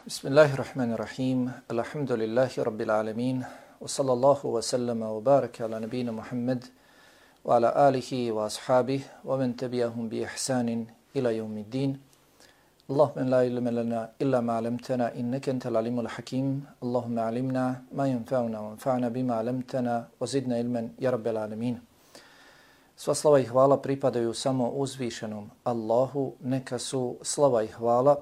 Bismillahirrahmanirrahim. Alhamdulillahi rabbil alamin. Wa sallallahu wa sallama wa baraka ala nabina Muhammad wa ala alihi wa ashabihi wa man tabi'ahum bi ihsanin ila yawmiddin. Allahumma la ilma lana illa ma 'allamtana innaka antal alimul hakim. Allahumma 'allimna ma yanfa'una wanfa'na bima 'allamtana wa zidna ilman ya rabbil alamin. Sva slava i hvala pripadaju samo uzvišenom Allahu, neka su slava i hvala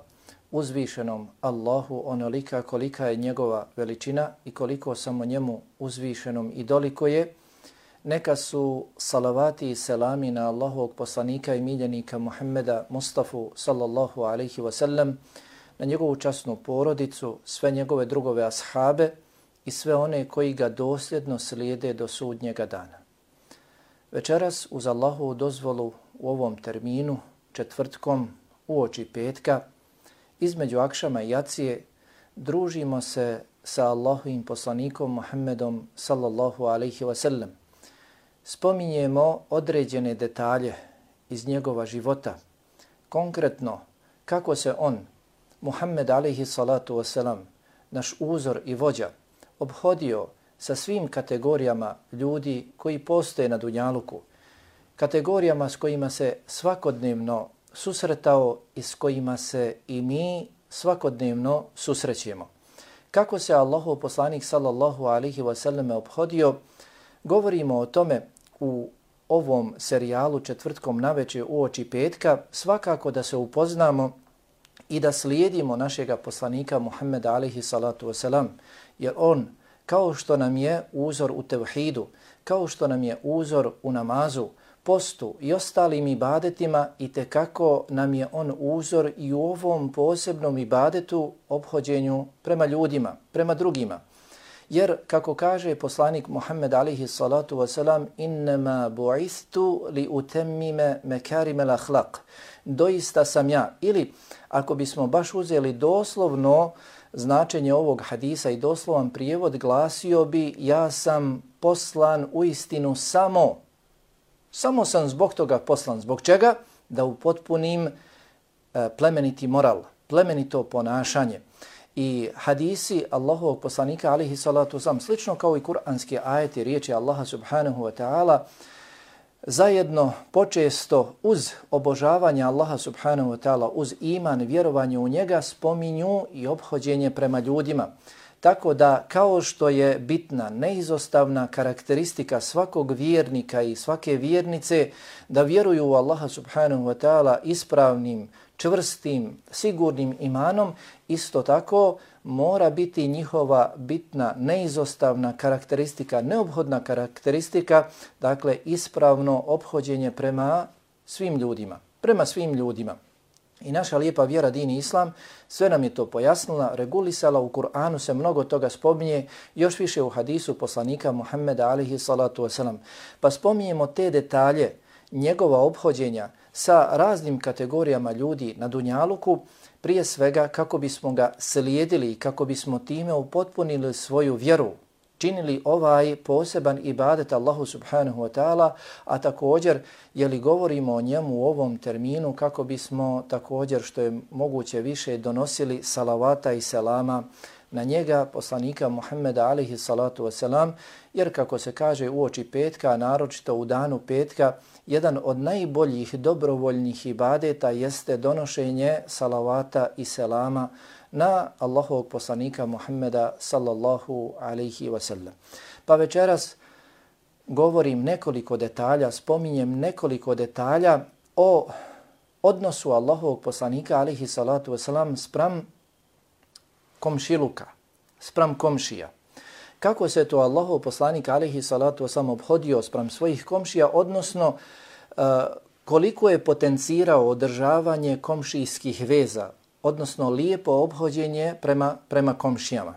uzvišenom Allahu onolika kolika je njegova veličina i koliko samo njemu uzvišenom i doliko je. Neka su salavati i selami na Allahovog poslanika i miljenika Muhammeda Mustafa sallallahu alaihi wasallam, na njegovu časnu porodicu, sve njegove drugove ashabe i sve one koji ga dosljedno slijede do sudnjega dana. Večeras uz Allahovu dozvolu u ovom terminu, četvrtkom, uoči petka, između akšama i jacije, družimo se sa Allahovim poslanikom Muhammedom sallallahu alaihi wasallam. Spominjemo određene detalje iz njegova života, konkretno kako se on, Muhammed alaihi salatu wasalam, naš uzor i vođa, obhodio sa svim kategorijama ljudi koji postoje na dunjaluku, kategorijama s kojima se svakodnevno susretao i s kojima se i mi svakodnevno susrećemo. Kako se Allahov poslanik sallallahu alaihi wasallam obhodio, govorimo o tome u ovom serijalu četvrtkom navečer uoči petka, svakako da se upoznamo i da slijedimo našega poslanika Muhammeda alaihi salatu wasalam, jer on, kao što nam je uzor u tevhidu, kao što nam je uzor u namazu, postu i ostalim ibadetima, i tekako nam je on uzor i u ovom posebnom ibadetu, obhođenju prema ljudima, prema drugima. Jer, kako kaže poslanik Muhammed alaihi salatu wasalam, innama bu'istu li utemmime mekarime l'ahlaq. Doista sam ja, ili ako bismo baš uzeli doslovno značenje ovog hadisa i doslovan prijevod, glasio bi: ja sam poslan uistinu samo sam zbog toga poslan. Zbog čega? Da upotpunim plemeniti moral, plemenito ponašanje. I hadisi Allahovog poslanika alaihi salatu wasalam, slično kao i kuranski ajeti, riječi Allaha subhanahu wa ta'ala, zajedno počesto uz obožavanje Allaha subhanahu wa ta'ala, uz iman, vjerovanje u njega, spominju i ophođenje prema ljudima. Tako da, kao što je bitna, neizostavna karakteristika svakog vjernika i svake vjernice da vjeruju u Allaha subhanahu wa ta'ala ispravnim, čvrstim, sigurnim imanom, isto tako mora biti njihova bitna, neizostavna karakteristika, neophodna karakteristika, dakle ispravno ophođenje prema svim ljudima. I naša lijepa vjera, din i islam, sve nam je to pojasnila, regulisala, u Kur'anu se mnogo toga spominje, još više u hadisu poslanika Muhammeda alaihi salatu wasalam. Pa spominjemo te detalje njegova ophođenja sa raznim kategorijama ljudi na dunjaluku, prije svega kako bismo ga slijedili i kako bismo time upotpunili svoju vjeru, činili ovaj poseban ibadet Allahu subhanahu wa ta'ala, a također, jeli govorimo o njemu u ovom terminu, kako bismo također što je moguće više donosili salavata i selama na njega, poslanika Muhammeda alaihi salatu wasalam, jer kako se kaže uoči petka, naročito u danu petka, jedan od najboljih dobrovoljnih ibadeta jeste donošenje salavata i selama na Allahovog poslanika Muhammeda sallallahu alaihi wasallam. Pa večeras govorim nekoliko detalja, spominjem nekoliko detalja o odnosu Allahovog poslanika alaihi salatu wasalam spram komšiluka, spram komšija. Kako se to Allahov poslanik alaihi salatu wasalam obhodio spram svojih komšija, odnosno koliko je potencirao održavanje komšijskih veza, odnosno lijepo obhođenje prema komšijama.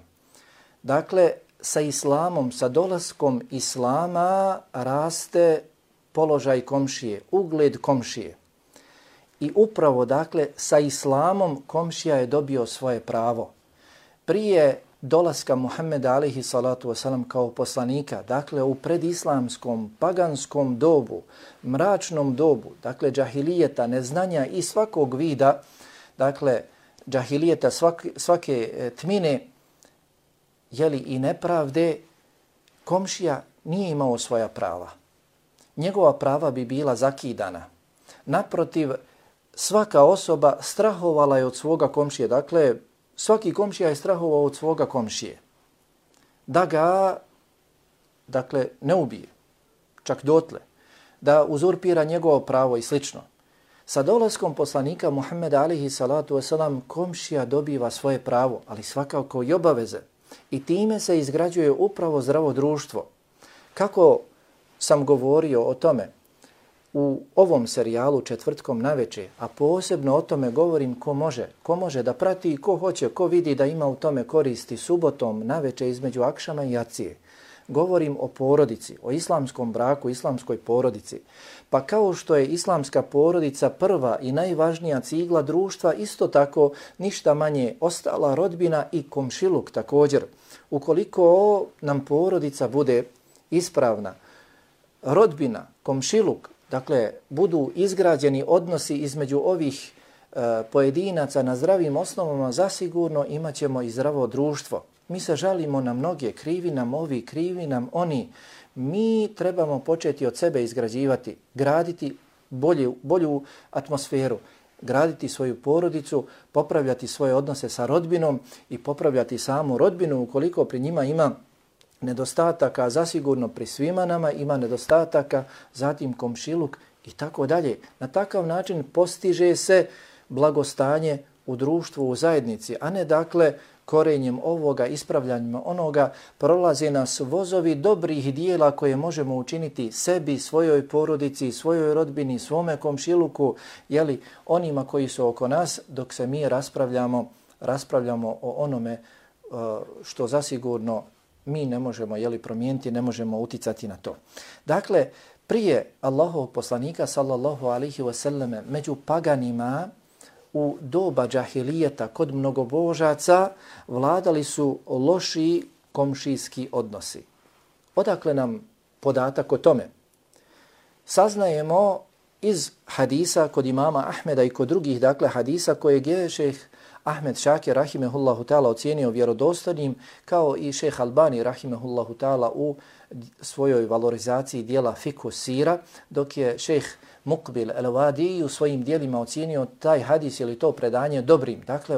Dakle, sa islamom, sa dolaskom islama raste položaj komšije, ugled komšije. I upravo, dakle, sa islamom komšija je dobio svoje pravo. Prije dolaska Muhammeda alaihi salatu wasalam kao poslanika, dakle u predislamskom, paganskom dobu, mračnom dobu, dakle džahilijeta, neznanja i svakog vida, dakle džahilijeta, svake tmine, jeli i nepravde, komšija nije imao svoja prava. Njegova prava bi bila zakidana. Naprotiv, svaka osoba strahovala je od svoga komšije. Dakle, svaki komšija je strahovao od svoga komšije. Da ga, dakle, ne ubije, čak dotle. Da uzurpira njegovo pravo i slično. Sa dolaskom poslanika Muhammeda alihi salatu wasalam komšija dobiva svoje pravo, ali svakako i obaveze. I time se izgrađuje upravo zdravo društvo. Kako sam govorio o tome u ovom serijalu Četvrtkom naveče, a posebno o tome govorim ko može da prati i ko hoće, ko vidi da ima u tome koristi subotom naveče između akšama i jacije. Govorim o porodici, o islamskom braku, islamskoj porodici. Pa kao što je islamska porodica prva i najvažnija cigla društva, isto tako ništa manje ostala rodbina i komšiluk također. Ukoliko nam porodica bude ispravna, rodbina, komšiluk, dakle, budu izgrađeni odnosi između ovih pojedinaca na zdravim osnovama, zasigurno imat ćemo i zdravo društvo. Mi se žalimo na mnoge, krivi nam ovi, krivi nam oni. Mi trebamo početi od sebe izgrađivati, graditi bolju atmosferu, graditi svoju porodicu, popravljati svoje odnose sa rodbinom i popravljati samu rodbinu ukoliko pri njima ima nedostataka, zasigurno pri svima nama ima nedostataka, zatim komšiluk i tako dalje. Na takav način postiže se blagostanje u društvu, u zajednici, a ne dakle korenjem ovoga, ispravljanjem onoga, prolaze nas vozovi dobrih dijela koje možemo učiniti sebi, svojoj porodici, svojoj rodbini, svome komšiluku, jeli, onima koji su oko nas, dok se mi raspravljamo o onome što zasigurno mi ne možemo promijeniti, ne možemo uticati na to. Dakle, prije Allahovog poslanika sallallahu alaihi wasallam među paganima u doba džahilijeta kod mnogobožaca vladali su loši komšijski odnosi. Odakle nam podatak o tome? Saznajemo iz hadisa kod imama Ahmeda i kod drugih, dakle hadisa kojeg je šejh Ahmed Šakir rahimehullahu ta'ala ocijenio vjerodostojnim, kao i šejh Albani rahimehullahu ta'ala u svojoj valorizaciji dijela Fikhu Sira, dok je šejh Muqbil el-Wadi u svojim dijelima ocijenio taj hadis ili to predanje dobrim. Dakle,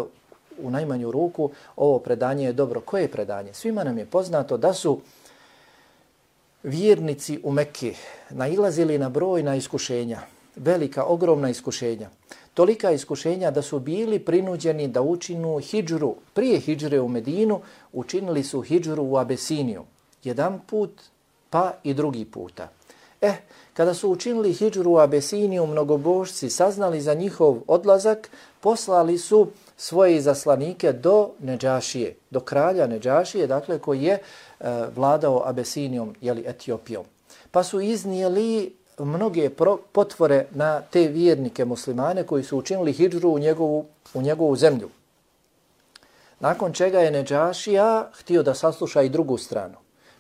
u najmanju ruku ovo predanje je dobro. Koje je predanje? Svima nam je poznato da su vjernici u Mekki nailazili na brojna iskušenja, velika, ogromna iskušenja. Tolika iskušenja da su bili prinuđeni da učinu hidžru. Prije hidžre u Medinu učinili su hidžru u Abesiniju. Jedan put, pa i drugi puta. Kada su učinili hidžru u Abesiniju, mnogobožci saznali za njihov odlazak, poslali su svoje izaslanike do Nedžašije, do kralja Nedžašije, dakle koji je vladao Abesinijom, Etiopijom. Pa su iznijeli mnoge potvore na te vjernike muslimane koji su učinili hidžru u njegovu zemlju. Nakon čega je Nedžašija htio da sasluša i drugu stranu.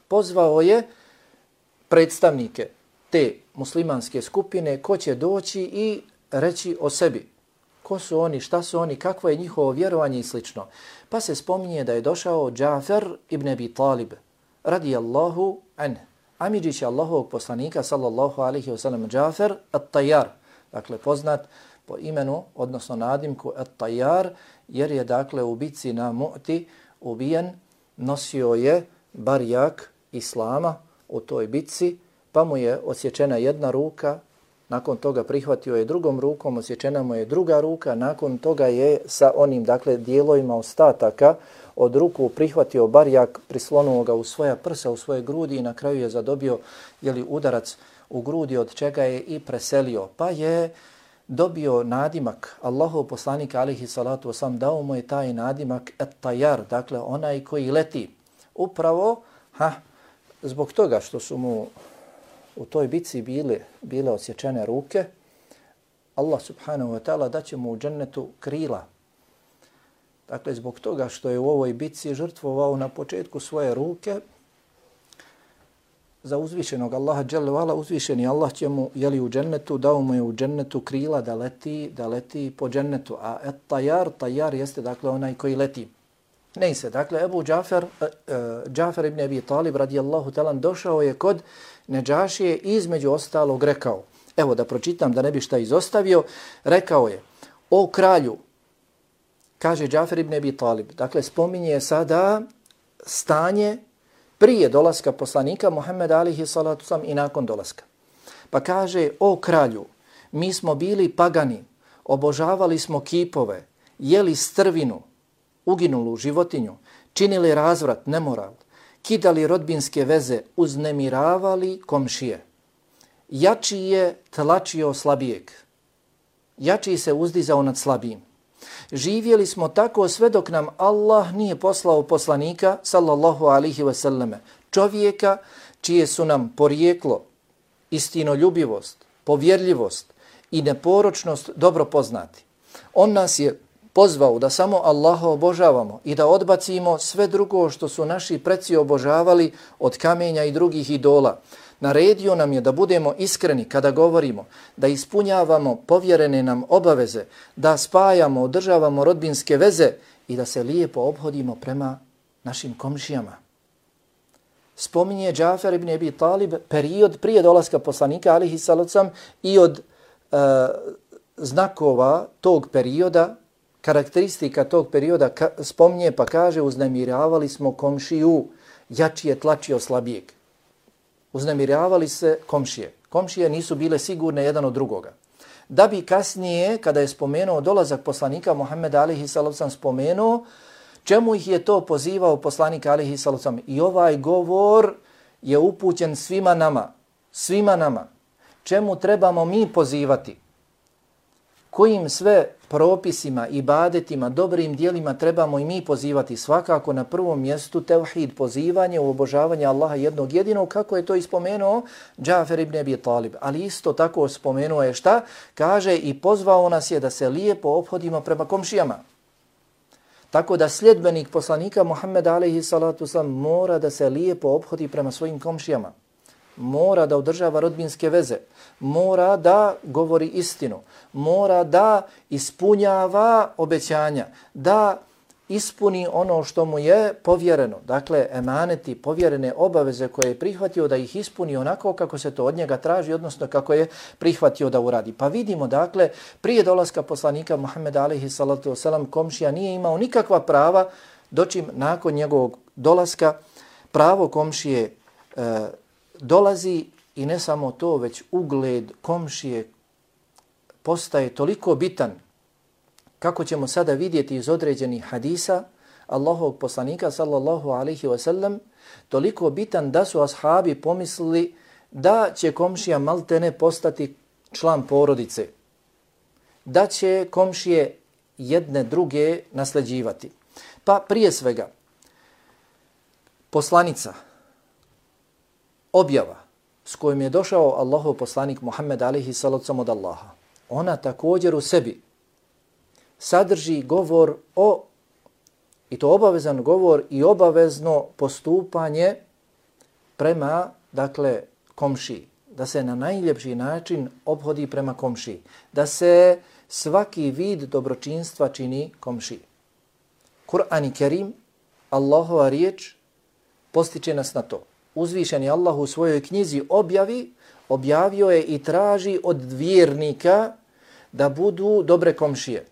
Pozvao je predstavnike te muslimanske skupine ko će doći i reći o sebi. Ko su oni, šta su oni, kakvo je njihovo vjerovanje i slično. Pa se spominje da je došao Džafer ibn Abi Talib, radijallahu anh, amidžić Allahovog poslanika, sallallahu alaihi wasallam, Džafer at-Tajar, dakle poznat po imenu, odnosno nadimku at-Tajar, jer je dakle u bitci na Mu'ti ubijen, nosio je barjak Islama u toj bitci, pa mu je odsječena jedna ruka, nakon toga prihvatio je drugom rukom, odsječena mu je druga ruka, nakon toga je sa onim dakle dijelovima ostataka od ruku prihvatio barjak, prislonuo ga u svoja prsa, u svoje grudi i na kraju je zadobio udarac u grudi, od čega je i preselio. Pa je dobio nadimak, Allahov poslanik alejhi salatu vesselam dao mu je taj nadimak at-Tajar, dakle onaj koji leti. Upravo zbog toga što su mu u toj bitci bile odsječene ruke, Allah subhanahu wa ta'ala daće mu u džennetu krila. Dakle, zbog toga što je u ovoj bitci žrtvovao na početku svoje ruke, za uzvišenog Allaha dželle vala, uzvišeni Allah će mu jeli u džennetu, dao mu je u džennetu krila da leti po džennetu. A tajar jeste dakle onaj koji leti. Ne se, dakle Ebu Džafer ibn Abi Talib radijallahu ta'ala došao je kod Nedžašije i između ostalog rekao, evo da pročitam da ne bi šta izostavio, rekao je, o kralju, kaže Džafer ibn Abi Talib, dakle spominje sada stanje prije dolaska poslanika Muhammeda alihi salatu sam i nakon dolaska. Pa kaže, o kralju, mi smo bili pagani, obožavali smo kipove, jeli strvinu, uginulu životinju, činili razvrat, nemoral, kidali rodbinske veze, uznemiravali komšije. Jači je tlačio slabijeg, jači se uzdizao nad slabijim. Živjeli smo tako sve dok nam Allah nije poslao poslanika, sallallahu alihi wasallame, čovjeka čije su nam porijeklo, istinoljubivost, povjerljivost i neporočnost dobro poznati. On nas je pozvao da samo Allaha obožavamo i da odbacimo sve drugo što su naši preci obožavali od kamenja i drugih idola. Naredio nam je da budemo iskreni kada govorimo, da ispunjavamo povjerene nam obaveze, da spajamo, održavamo rodbinske veze i da se lijepo ophodimo prema našim komšijama. Spominje Džafer ibn Abi Talib period prije dolaska poslanika alihi salocam i od znakova tog perioda, karakteristika tog perioda spominje pa kaže uznemiravali smo komšiju, jači je tlačio slabijeg. Uznemiravali se komšije. Komšije nisu bile sigurne jedan od drugoga. Da bi kasnije, kada je spomenuo dolazak poslanika Muhammeda alihi sallam spomenuo, čemu ih je to pozivao poslanik alihi sallam. I ovaj govor je upućen svima nama. Čemu trebamo mi pozivati? Kojim sve propisima, ibadetima, dobrim dijelima trebamo i mi pozivati? Svakako na prvom mjestu tevhid, pozivanje u obožavanje Allaha jednog jedinog, kako je to ispomenuo Džafer ibn Abi Talib. Ali isto tako spomenuo je šta? Kaže i pozvao nas je da se lijepo ophodimo prema komšijama. Tako da sljedbenik poslanika Muhammeda alejhi salatu vesselam mora da se lijepo ophodi prema svojim komšijama. Mora da održava rodbinske veze, mora da govori istinu, mora da ispunjava obećanja, da ispuni ono što mu je povjereno. Dakle, emaneti, povjerene obaveze koje je prihvatio da ih ispuni onako kako se to od njega traži, odnosno kako je prihvatio da uradi. Pa vidimo, dakle, prije dolaska poslanika Muhammeda alejhi salatu vesselam komšija nije imao nikakva prava, dočim nakon njegovog dolaska pravo komšije dolazi i ne samo to, već ugled komšije postaje toliko bitan, kako ćemo sada vidjeti iz određenih hadisa Allahovog poslanika sallallahu alaihi wasallam, toliko bitan da su ashabi pomislili da će komšija maltene postati član porodice, da će komšije jedne druge nasljeđivati. Pa prije svega, poslanica, objava s kojom je došao Allahov poslanik Muhammed alejhi salatu od Allaha, ona također u sebi sadrži govor i to obavezan govor i obavezno postupanje prema, dakle, komšiji, da se na najljepši način ophodi prema komšiji, da se svaki vid dobročinstva čini komšiji. Kur'an i Kerim, Allahova riječ, postiče nas na to. Uzvišeni Allah u svojoj knjizi objavio je i traži od vjernika da budu dobre komšije.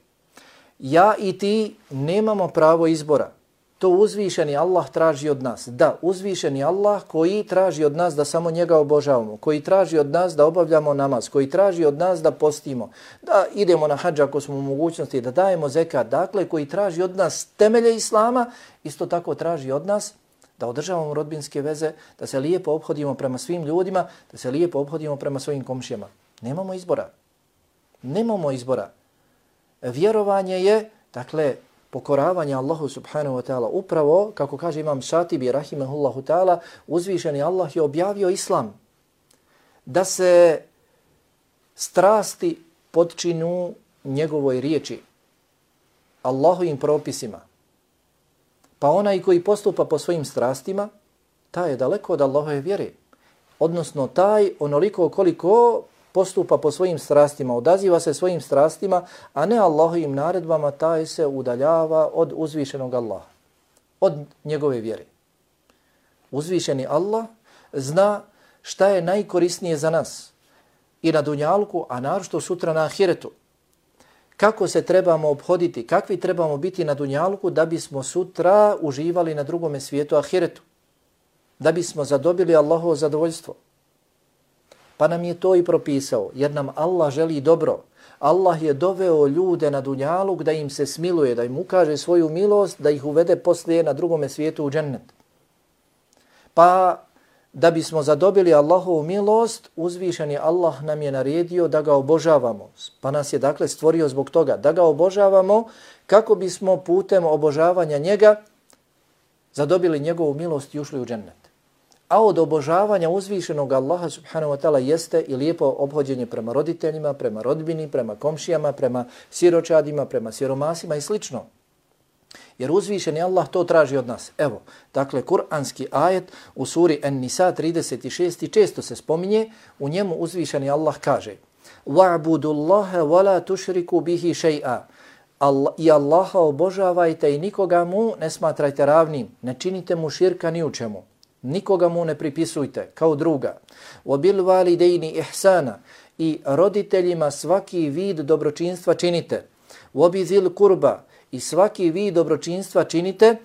Ja i ti nemamo pravo izbora. To uzvišeni Allah traži od nas. Da, uzvišeni Allah koji traži od nas da samo njega obožavamo, koji traži od nas da obavljamo namaz, koji traži od nas da postimo, da idemo na hadž ako smo u mogućnosti, da dajemo zekat, dakle koji traži od nas temelje Islama, isto tako traži od nas da održavamo rodbinske veze, da se lijepo ophodimo prema svim ljudima, da se lijepo ophodimo prema svojim komšijama. Nemamo izbora. Nemamo izbora. Vjerovanje je, dakle, pokoravanje Allahu subhanahu wa ta'ala. Upravo, kako kaže imam Šatibi, rahimahullahu ta'ala, uzvišeni Allah je objavio Islam. Da se strasti podčinu njegovoj riječi, Allahovim propisima. Pa onaj koji postupa po svojim strastima, taj je daleko od Allahove vjere. odnosno taj onoliko koliko postupa po svojim strastima, odaziva se svojim strastima, a ne Allahovim naredbama, taj se udaljava od uzvišenog Allaha, od njegove vjere. Uzvišeni Allah zna šta je najkorisnije za nas i na dunjalku, a naročito sutra na ahiretu. Kako se trebamo obhoditi, kakvi trebamo biti na dunjalku da bismo sutra uživali na drugome svijetu ahiretu, da bismo zadobili Allahovo zadovoljstvo. Pa nam je to i propisao, jer nam Allah želi dobro. Allah je doveo ljude na dunjaluk da im se smiluje, da im ukaže svoju milost, da ih uvede poslije na drugome svijetu u džennet. Pa da bismo zadobili Allahovu milost, uzvišeni Allah nam je naredio da ga obožavamo. Pa nas je dakle stvorio zbog toga da ga obožavamo kako bismo putem obožavanja njega zadobili njegovu milost i ušli u džennet. A od obožavanja uzvišenog Allaha subhanahu wa ta'ala jeste i lijepo obhođenje prema roditeljima, prema rodbini, prema komšijama, prema siročadima, prema siromasima i slično. Jer uzvišeni Allah to traži od nas. Evo, dakle, kuranski ajet u suri An-Nisa 36 često se spominje, u njemu uzvišeni Allah kaže: وَعْبُدُ اللَّهَ وَلَا تُشْرِكُ بِهِ شَيْئًا. I Allaha obožavajte i nikoga mu ne smatrajte ravnim, ne činite mu širka ni u čemu. Nikoga mu ne pripisujte kao druga. وَبِالْوَالِدَيْنِ إِحْسَانًا. I roditeljima svaki vid dobročinstva činite. وَبِذِلْ قُرْبَ. I svaki vid dobročinstva činite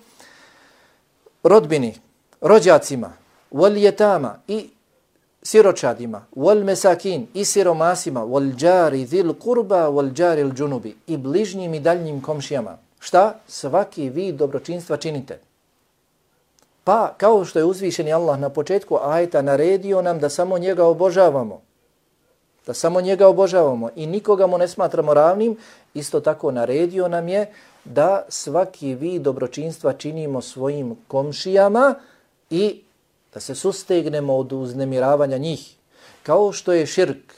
rodbini, rođacima, وَالْيَتَامَ. I siročadima, وَالْمَسَاكِينَ. I siromasima, وَالْجَارِ ذِلْ قُرْبَ وَالْجَارِ الْجُنُبِ. I bližnjim i daljnjim komšijama. Šta? Svaki vid dobročinstva činite. Pa, kao što je uzvišeni Allah na početku ajeta naredio nam da samo njega obožavamo, da samo njega obožavamo i nikoga mu ne smatramo ravnim, isto tako naredio nam je da svaki vid dobročinstva činimo svojim komšijama i da se sustegnemo od uznemiravanja njih. Kao što je širk,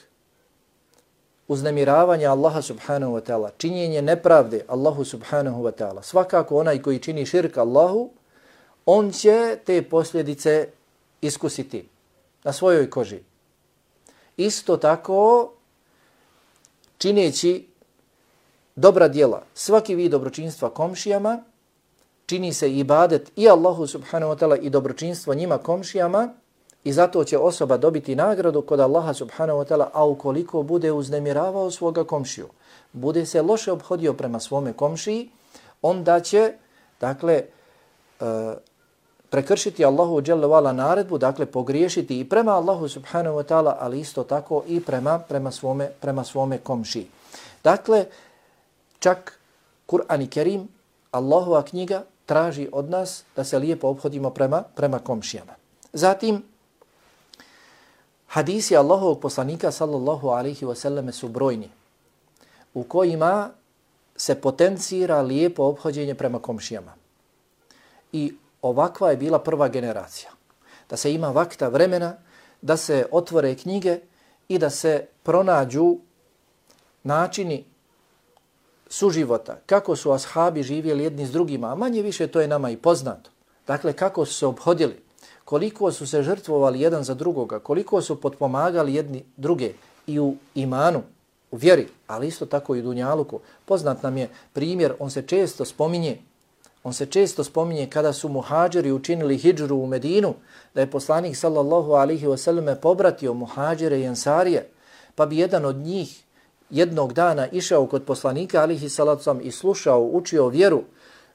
uznemiravanje Allaha subhanahu wa ta'ala, činjenje nepravde Allahu subhanahu wa ta'ala. Svakako onaj koji čini širk Allahu, on će te posljedice iskusiti na svojoj koži. Isto tako, čineći dobra djela, svaki vid dobročinstva komšijama, čini se ibadet i Allahu subhanahu wa ta'ala i dobročinstvo njima komšijama i zato će osoba dobiti nagradu kod Allaha subhanahu wa ta'ala, a ukoliko bude uznemiravao svoga komšiju, bude se loše obhodio prema svome komšiji, onda će, dakle, prekršiti Allahu dželle ve ala naredbu, dakle pogriješiti i prema Allahu subhanahu wa ta'ala, ali isto tako i prema svome komšiji. Dakle, čak Kur'an i Kerim, Allahova knjiga, traži od nas da se lijepo ophodimo prema komšijama. Zatim, hadisi Allahovog poslanika sallallahu alaihi wa sallam su brojni, u kojima se potencira lijepo ophođenje prema komšijama. I ovakva je bila prva generacija. Da se ima vakta vremena, da se otvore knjige i da se pronađu načini suživota, kako su ashabi živjeli jedni s drugima, a manje više to je nama i poznato. Dakle, kako su se obhodili, koliko su se žrtvovali jedan za drugoga, koliko su potpomagali jedni druge i u imanu, u vjeri, ali isto tako i u dunjaluku. Poznat nam je primjer, on se često spominje kada su muhađiri učinili hidžru u Medinu, da je poslanik sallallahu alaihi wasallam pobratio muhađire i ensarije, pa bi jedan od njih jednog dana išao kod poslanika alaihi salatu i slušao, učio vjeru,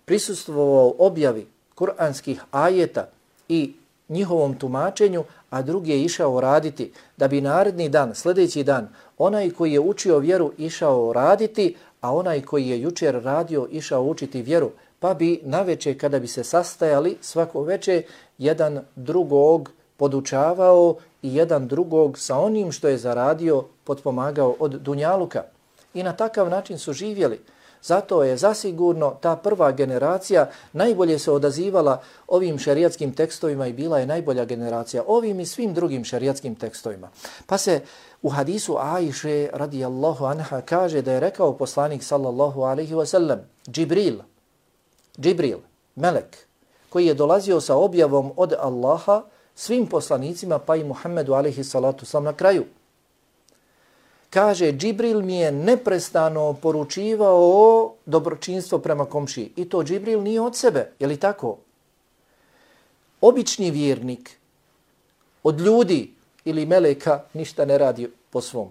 prisustvovao objavi kuranskih ajeta i njihovom tumačenju, a drugi je išao raditi, da bi naredni dan, sljedeći dan, onaj koji je učio vjeru išao raditi, a onaj koji je jučer radio išao učiti vjeru, pa bi naveče kada bi se sastajali svako veče jedan drugog podučavao i jedan drugog sa onim što je zaradio potpomagao od dunjaluka. I na takav način su živjeli. Zato je zasigurno ta prva generacija najbolje se odazivala ovim šerijatskim tekstovima i bila je najbolja generacija ovim i svim drugim šerijatskim tekstovima. Pa se u hadisu Ajše radijallahu anha kaže da je rekao poslanik sallallahu alaihi wasallam, Džibril, melek, koji je dolazio sa objavom od Allaha, svim poslanicima, pa i Muhammedu alejhi salatu selam na kraju. Kaže, Džibril mi je neprestano poručivao dobročinstvo prema komšiji. I to Džibril nije od sebe, je li tako? Obični vjernik od ljudi ili meleka ništa ne radi po svom.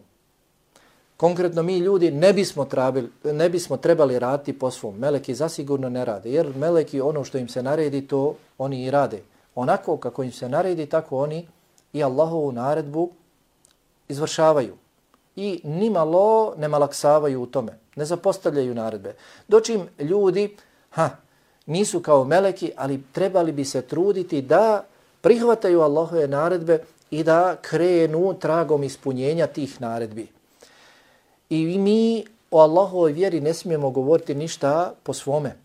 Konkretno mi ljudi ne bismo trebali raditi po svom. Meleki zasigurno ne rade, jer meleki ono što im se naredi to oni i rade. Onako kako im se naredi, tako oni i Allahovu naredbu izvršavaju. I nimalo ne malaksavaju u tome, ne zapostavljaju naredbe. Dočim ljudi nisu kao meleki, ali trebali bi se truditi da prihvataju Allahove naredbe i da krenu tragom ispunjenja tih naredbi. I mi o Allahovoj vjeri ne smijemo govoriti ništa po svome,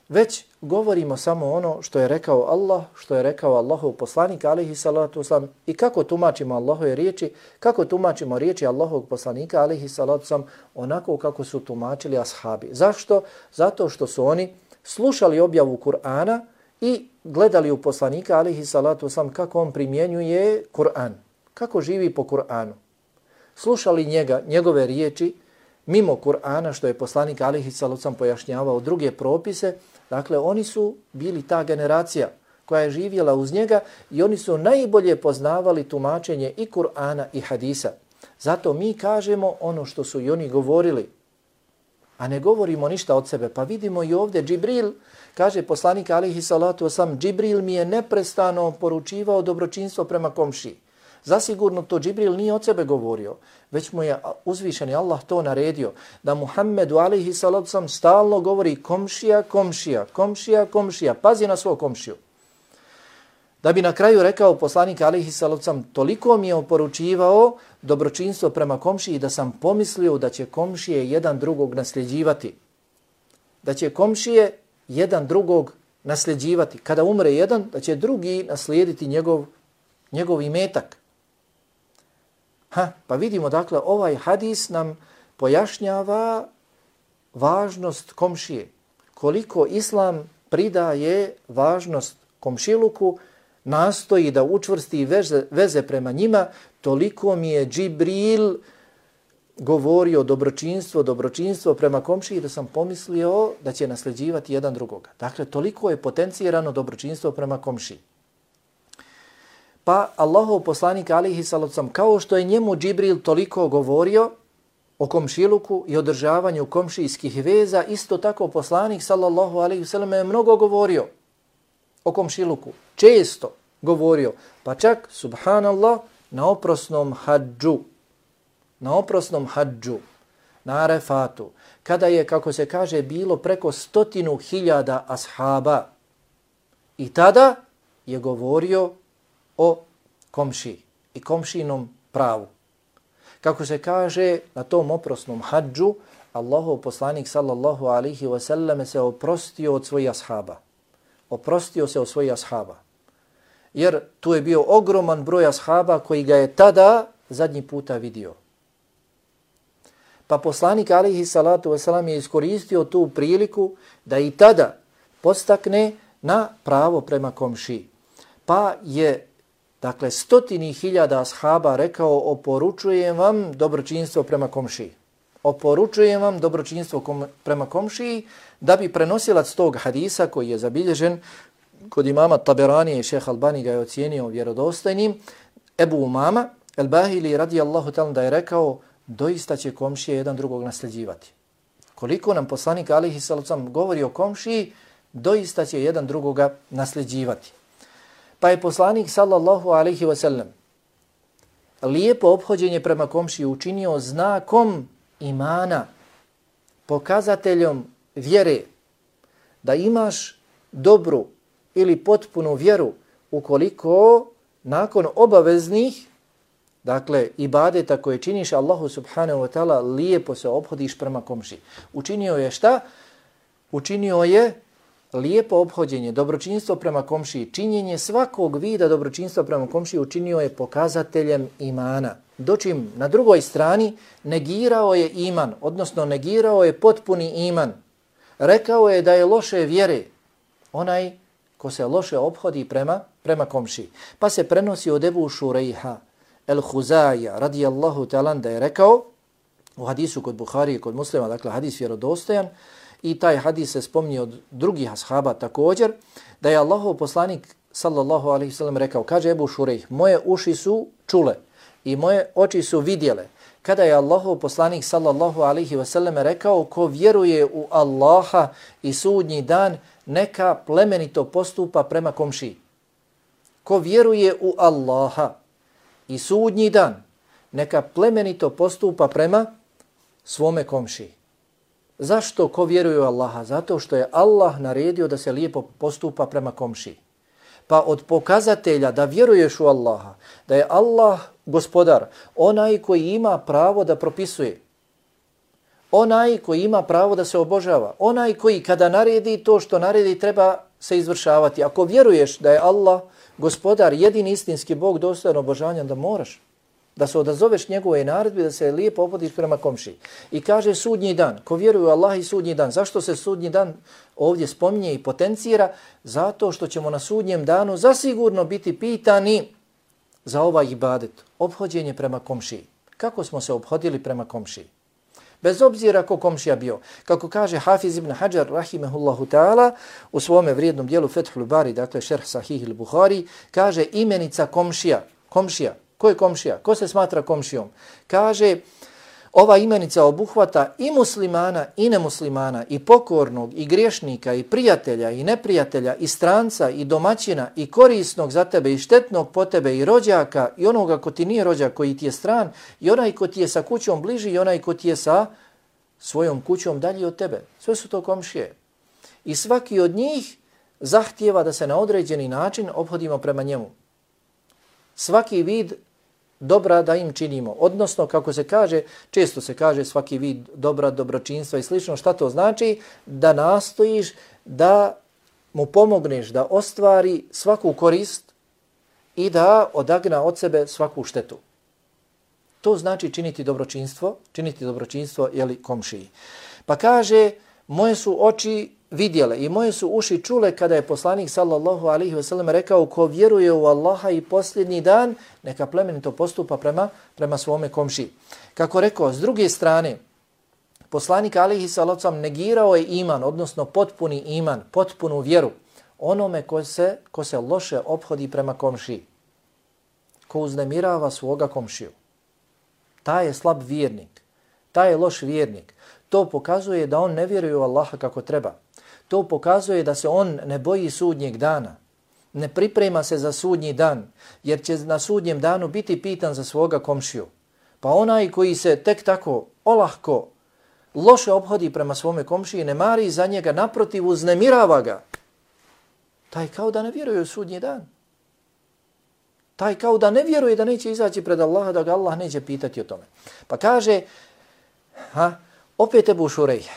već govorimo samo ono što je rekao Allah, što je rekao Allahov poslanik alejhi salatu selam i kako tumačimo Allahove riječi, kako tumačimo riječi Allahovog poslanika alejhi salatu selam onako kako su tumačili ashabi. Zašto? Zato što su oni slušali objavu Kur'ana i gledali u poslanika alejhi salatu selam kako on primjenjuje Kur'an, kako živi po Kur'anu. Slušali njegove riječi mimo Kur'ana, što je poslanik alejhi salatu selam pojašnjavao druge propise. Dakle, oni su bili ta generacija koja je živjela uz njega i oni su najbolje poznavali tumačenje i Kur'ana i hadisa. Zato mi kažemo ono što su i oni govorili, a ne govorimo ništa od sebe. Pa vidimo i ovdje Džibril, kaže poslanik alejhi salatu vesselam, Džibril mi je neprestano poručivao dobročinstvo prema komšiji. Zasigurno to Džibril nije od sebe govorio, već mu je uzvišeni Allah to naredio, da Muhammedu alejhi salatu vesselam stalno govori komšija, komšija, komšija, komšija, pazi na svog komšiju. Da bi na kraju rekao poslanik alejhi salatu vesselam, toliko mi je oporučivao dobročinstvo prema komšiji da sam pomislio da će komšije jedan drugog nasljeđivati. Da će komšije jedan drugog nasljeđivati. Kada umre jedan, da će drugi naslijediti njegov imetak. Pa vidimo, dakle, ovaj hadis nam pojašnjava važnost komšije. Koliko Islam pridaje važnost komšiluku, nastoji da učvrsti veze prema njima, toliko mi je Džibril govorio dobročinstvo prema komšiji da sam pomislio da će nasljeđivati jedan drugoga. Dakle, toliko je potencirano dobročinstvo prema komšiji. Pa Allahov poslanik alejhi salatu selam, kao što je njemu Džibril toliko govorio o komšiluku i održavanju komšijskih veza, isto tako poslanik sallallahu alejhi ve sellem je mnogo govorio o komšiluku, često govorio, pa čak subhanallah na oprosnom hadžu, na Arefatu, kada je, kako se kaže, bilo preko 100.000 ashaba. I tada je govorio o komšiji i komšinom pravu. Kako se kaže, na tom oprosnom hadžu, Allahov poslanik sallallahu alaihi wa sallam se oprostio od svojih ashaba. Oprostio se od svojih ashaba. Jer tu je bio ogroman broj ashaba koji ga je tada zadnji puta vidio. Pa poslanik alaihi salatu wa sallam je iskoristio tu priliku da i tada postakne na pravo prema komšiji. Pa je, dakle, 100.000 ashaba rekao, oporučujem vam dobročinstvo prema komšiji. Oporučujem vam dobročinstvo prema komšiji, da bi prenosilac tog hadisa koji je zabilježen kod imama Taberanije i šeha Albani ga je ocijenio vjerodostojnim, Ebu Umama el-Bahili radijallahu ta'ala da je rekao, doista će komšije jedan drugog nasljeđivati. Koliko nam poslanik alejhi salatu selam govori o komšiji, doista će jedan drugoga nasljeđivati. Pa je poslanik sallallahu alejhi ve sellem lijepo ophođenje prema komšiji učinio znakom imana, pokazateljom vjere, da imaš dobru ili potpunu vjeru ukoliko nakon obaveznih, dakle, ibadeta koje činiš Allahu subhanahu wa ta'ala, lijepo se ophodiš prema komšiji. Učinio je šta? Učinio je lijepo ophođenje, dobročinstvo prema komšiji, činjenje svakog vida dobročinstva prema komšiji učinio je pokazateljem imana. Dočim na drugoj strani negirao je iman, odnosno negirao je potpuni iman. Rekao je da je loše vjere onaj ko se loše ophodi prema komšiji. Pa se prenosi od Ebu Šurejha el-Huzaja radijallahu ta'ala da je rekao u hadisu kod Buhari i kod Muslima, dakle hadis vjerodostojan, i taj hadis se spominje od drugih ashaba također, da je Allahov poslanik sallallahu alaihi sallam rekao, kaže Ebu Šurejh, moje uši su čule i moje oči su vidjele. Kada je Allahov poslanik sallallahu alaihi wasallam rekao, ko vjeruje u Allaha i sudnji dan, neka plemenito postupa prema komšiji. Ko vjeruje u Allaha i sudnji dan, neka plemenito postupa prema svome komšiji. Zašto ko vjeruje u Allaha? Zato što je Allah naredio da se lijepo postupa prema komšiji. Pa od pokazatelja da vjeruješ u Allaha, da je Allah gospodar, onaj koji ima pravo da propisuje, onaj koji ima pravo da se obožava, onaj koji kada naredi to što naredi treba se izvršavati. Ako vjeruješ da je Allah gospodar, jedini istinski Bog dostojan obožavanja, da moraš da se odazoveš njegove naredbi, da se lijepo opodiš prema komšiji. I kaže sudnji dan, ko vjeruje u Allah i sudnji dan. Zašto se sudnji dan ovdje spominje i potencira? Zato što ćemo na sudnjem danu zasigurno biti pitani za ovaj ibadet, ophođenje prema komšiji. Kako smo se ophodili prema komšiji? Bez obzira ko komšija bio. Kako kaže Hafiz ibn Hajar, rahimehullahu ta'ala, u svome vrijednom dijelu Fethul Bari, dakle šerh Sahih il-Buhari, kaže imenica komšija. Komšija. Ko je komšija? Ko se smatra komšijom? Kaže, ova imenica obuhvata i muslimana i nemuslimana, i pokornog, i griješnika, i prijatelja, i neprijatelja, i stranca, i domaćina, i korisnog za tebe, i štetnog po tebe, i rođaka, i onoga ko ti nije rođak, koji ti je stran, i onaj ko ti je sa kućom bliži, i onaj ko ti je sa svojom kućom dalje od tebe. Sve su to komšije. I svaki od njih zahtijeva da se na određeni način ophodimo prema njemu. Svaki vid dobra da im činimo. Odnosno, kako se kaže, često se kaže svaki vid dobra, dobročinstva i slično. Šta to znači? Da nastojiš da mu pomogneš da ostvari svaku korist i da odagna od sebe svaku štetu. To znači činiti dobročinstvo jeli komšiji. Pa kaže, moje su oči vidjele i moje su uši čule kada je poslanik sallallahu alaihi ve sellem rekao, ko vjeruje u Allaha i posljednji dan, neka plemenito postupa prema svome komšiji. Kako rekao, s druge strane, poslanik alaihi sallallahu alaihi negirao je iman, odnosno potpuni iman, potpunu vjeru onome ko se loše ophodi prema komšiji, ko uznemirava svoga komšiju. Taj je slab vjernik, taj je loš vjernik. To pokazuje da on ne vjeruje u Allaha kako treba. To pokazuje da se on ne boji sudnjeg dana. Ne priprema se za sudnji dan, jer će na sudnjem danu biti pitan za svoga komšiju. Pa onaj koji se tek tako olahko, loše ophodi prema svome komšiji, ne mari za njega, naprotiv uznemirava ga. Taj kao da ne vjeruje u sudnji dan. Taj kao da ne vjeruje da neće izaći pred Allaha, da ga Allah neće pitati o tome. Pa kaže, opet Ebu Šurejh.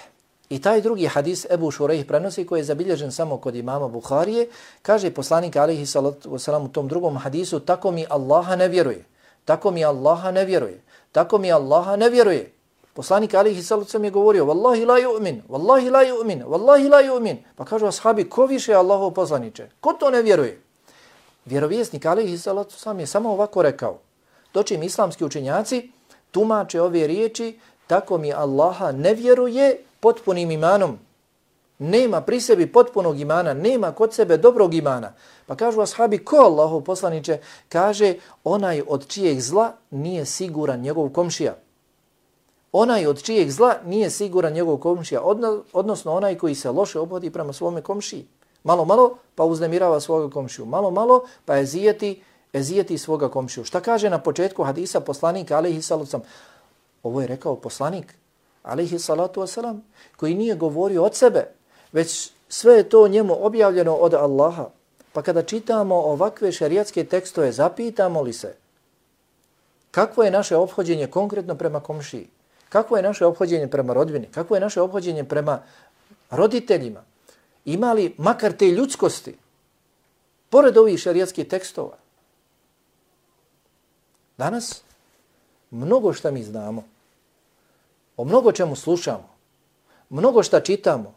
I taj drugi hadis Ebu Šurejh prenosi, koji je zabilježen samo kod imama Buharije, kaže poslanik alejhi salatu vesselam u tom drugom hadisu, tako mi Allaha ne vjeruje. Tako mi Allaha ne vjeruje. Tako mi Allaha ne vjeruje. Poslanik alejhi salatu vesselam je govorio, wallahi la yu'min, wallahi la yu'min, wallahi la yu'min. Pa kažu ashabi, ko više Allahov poslaniče? Ko to ne vjeruje? Vjerovjesnik alejhi salatu vesselam je samo ovako rekao. Dočim islamski učenjaci tumače ove riječi, tako mi Allaha ne vjeruje potpunim imanom. Nema pri sebi potpunog imana, nema kod sebe dobrog imana. Pa kažu ashabi, ko Allahov poslaniče? Kaže, onaj od čijeg zla nije siguran njegov komšija. Onaj od čijeg zla nije siguran njegov komšija, odnosno onaj koji se loše ophodi prema svome komšiji. Malo, pa uznemirava svoga komšiju. Malo, pa ezijeti svoga komšiju. Šta kaže na početku hadisa poslanik alejhi salatu vesselam? Ovo je rekao poslanik alejhi salatu vesselam, koji nije govorio od sebe, već sve je to njemu objavljeno od Allaha. Pa kada čitamo ovakve šerijatske tekstove, zapitamo li se kakvo je naše ophođenje konkretno prema komšiji? Kakvo je naše ophođenje prema rodbini? Kakvo je naše ophođenje prema roditeljima? Ima li makar te ljudskosti pored ovih šerijatskih tekstova? Danas mnogo šta mi znamo, o mnogo čemu slušamo, mnogo šta čitamo,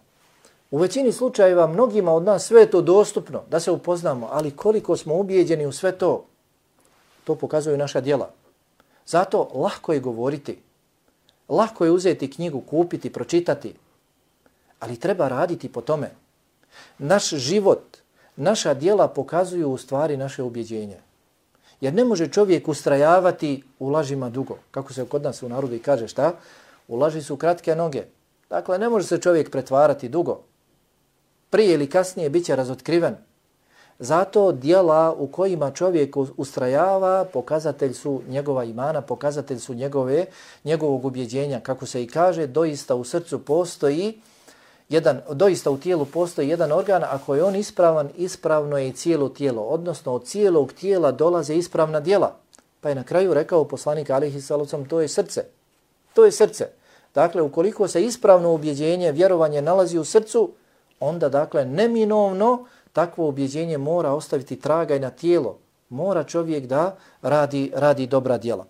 U većini slučajeva mnogima od nas sve je to dostupno da se upoznamo, ali koliko smo ubijeđeni u sve to, to pokazuju naša djela. Zato lahko je govoriti, lahko je uzeti knjigu, kupiti, pročitati, ali treba raditi po tome. Naš život, naša djela pokazuju u stvari naše ubjeđenje. Jer ne može čovjek ustrajavati u lažima dugo. Kako se kod nas u narodu i kaže šta? U laži su kratke noge. Dakle, ne može se čovjek pretvarati dugo. Prije ili kasnije bit će razotkriven. Zato djela u kojima čovjek ustrajava pokazatelj su njegova imana, pokazatelj su njegovog ubjeđenja. Kako se i kaže, doista u srcu postoji doista u tijelu postoji jedan organ, ako je on ispravan, ispravno je i cijelo tijelo. Odnosno, od cijelog tijela dolaze ispravna djela. Pa je na kraju rekao poslanik alejhi selatu selam, to je srce. To je srce. Dakle, ukoliko se ispravno ubjeđenje, vjerovanje nalazi u srcu, onda, dakle, neminovno takvo ubjeđenje mora ostaviti traga i na tijelo. Mora čovjek da radi dobra djela.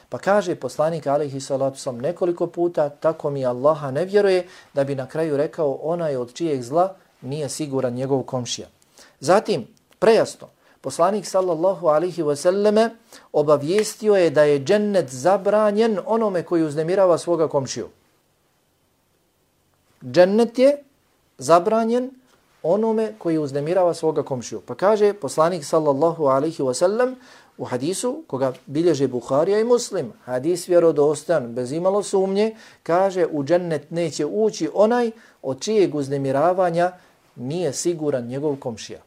Pa kaže poslanik alejhi salatu selam nekoliko puta, tako mi Allaha ne vjeruje, da bi na kraju rekao onaj od čijeg zla nije siguran njegov komšija. Zatim, prejasno, poslanik sallallahu alejhi ve selleme obavijestio je da je džennet zabranjen onome koji uznemirava svoga komšiju. Džennet je zabranjen onome koji uznemirava svoga komšiju. Pa kaže poslanik sallallahu alejhi ve sellem u hadisu koga bilježe Buharija i Muslim, hadis vjerodostojan, bez imalo sumnje, kaže u džennet neće ući onaj od čijeg uznemiravanja nije siguran njegov komšija.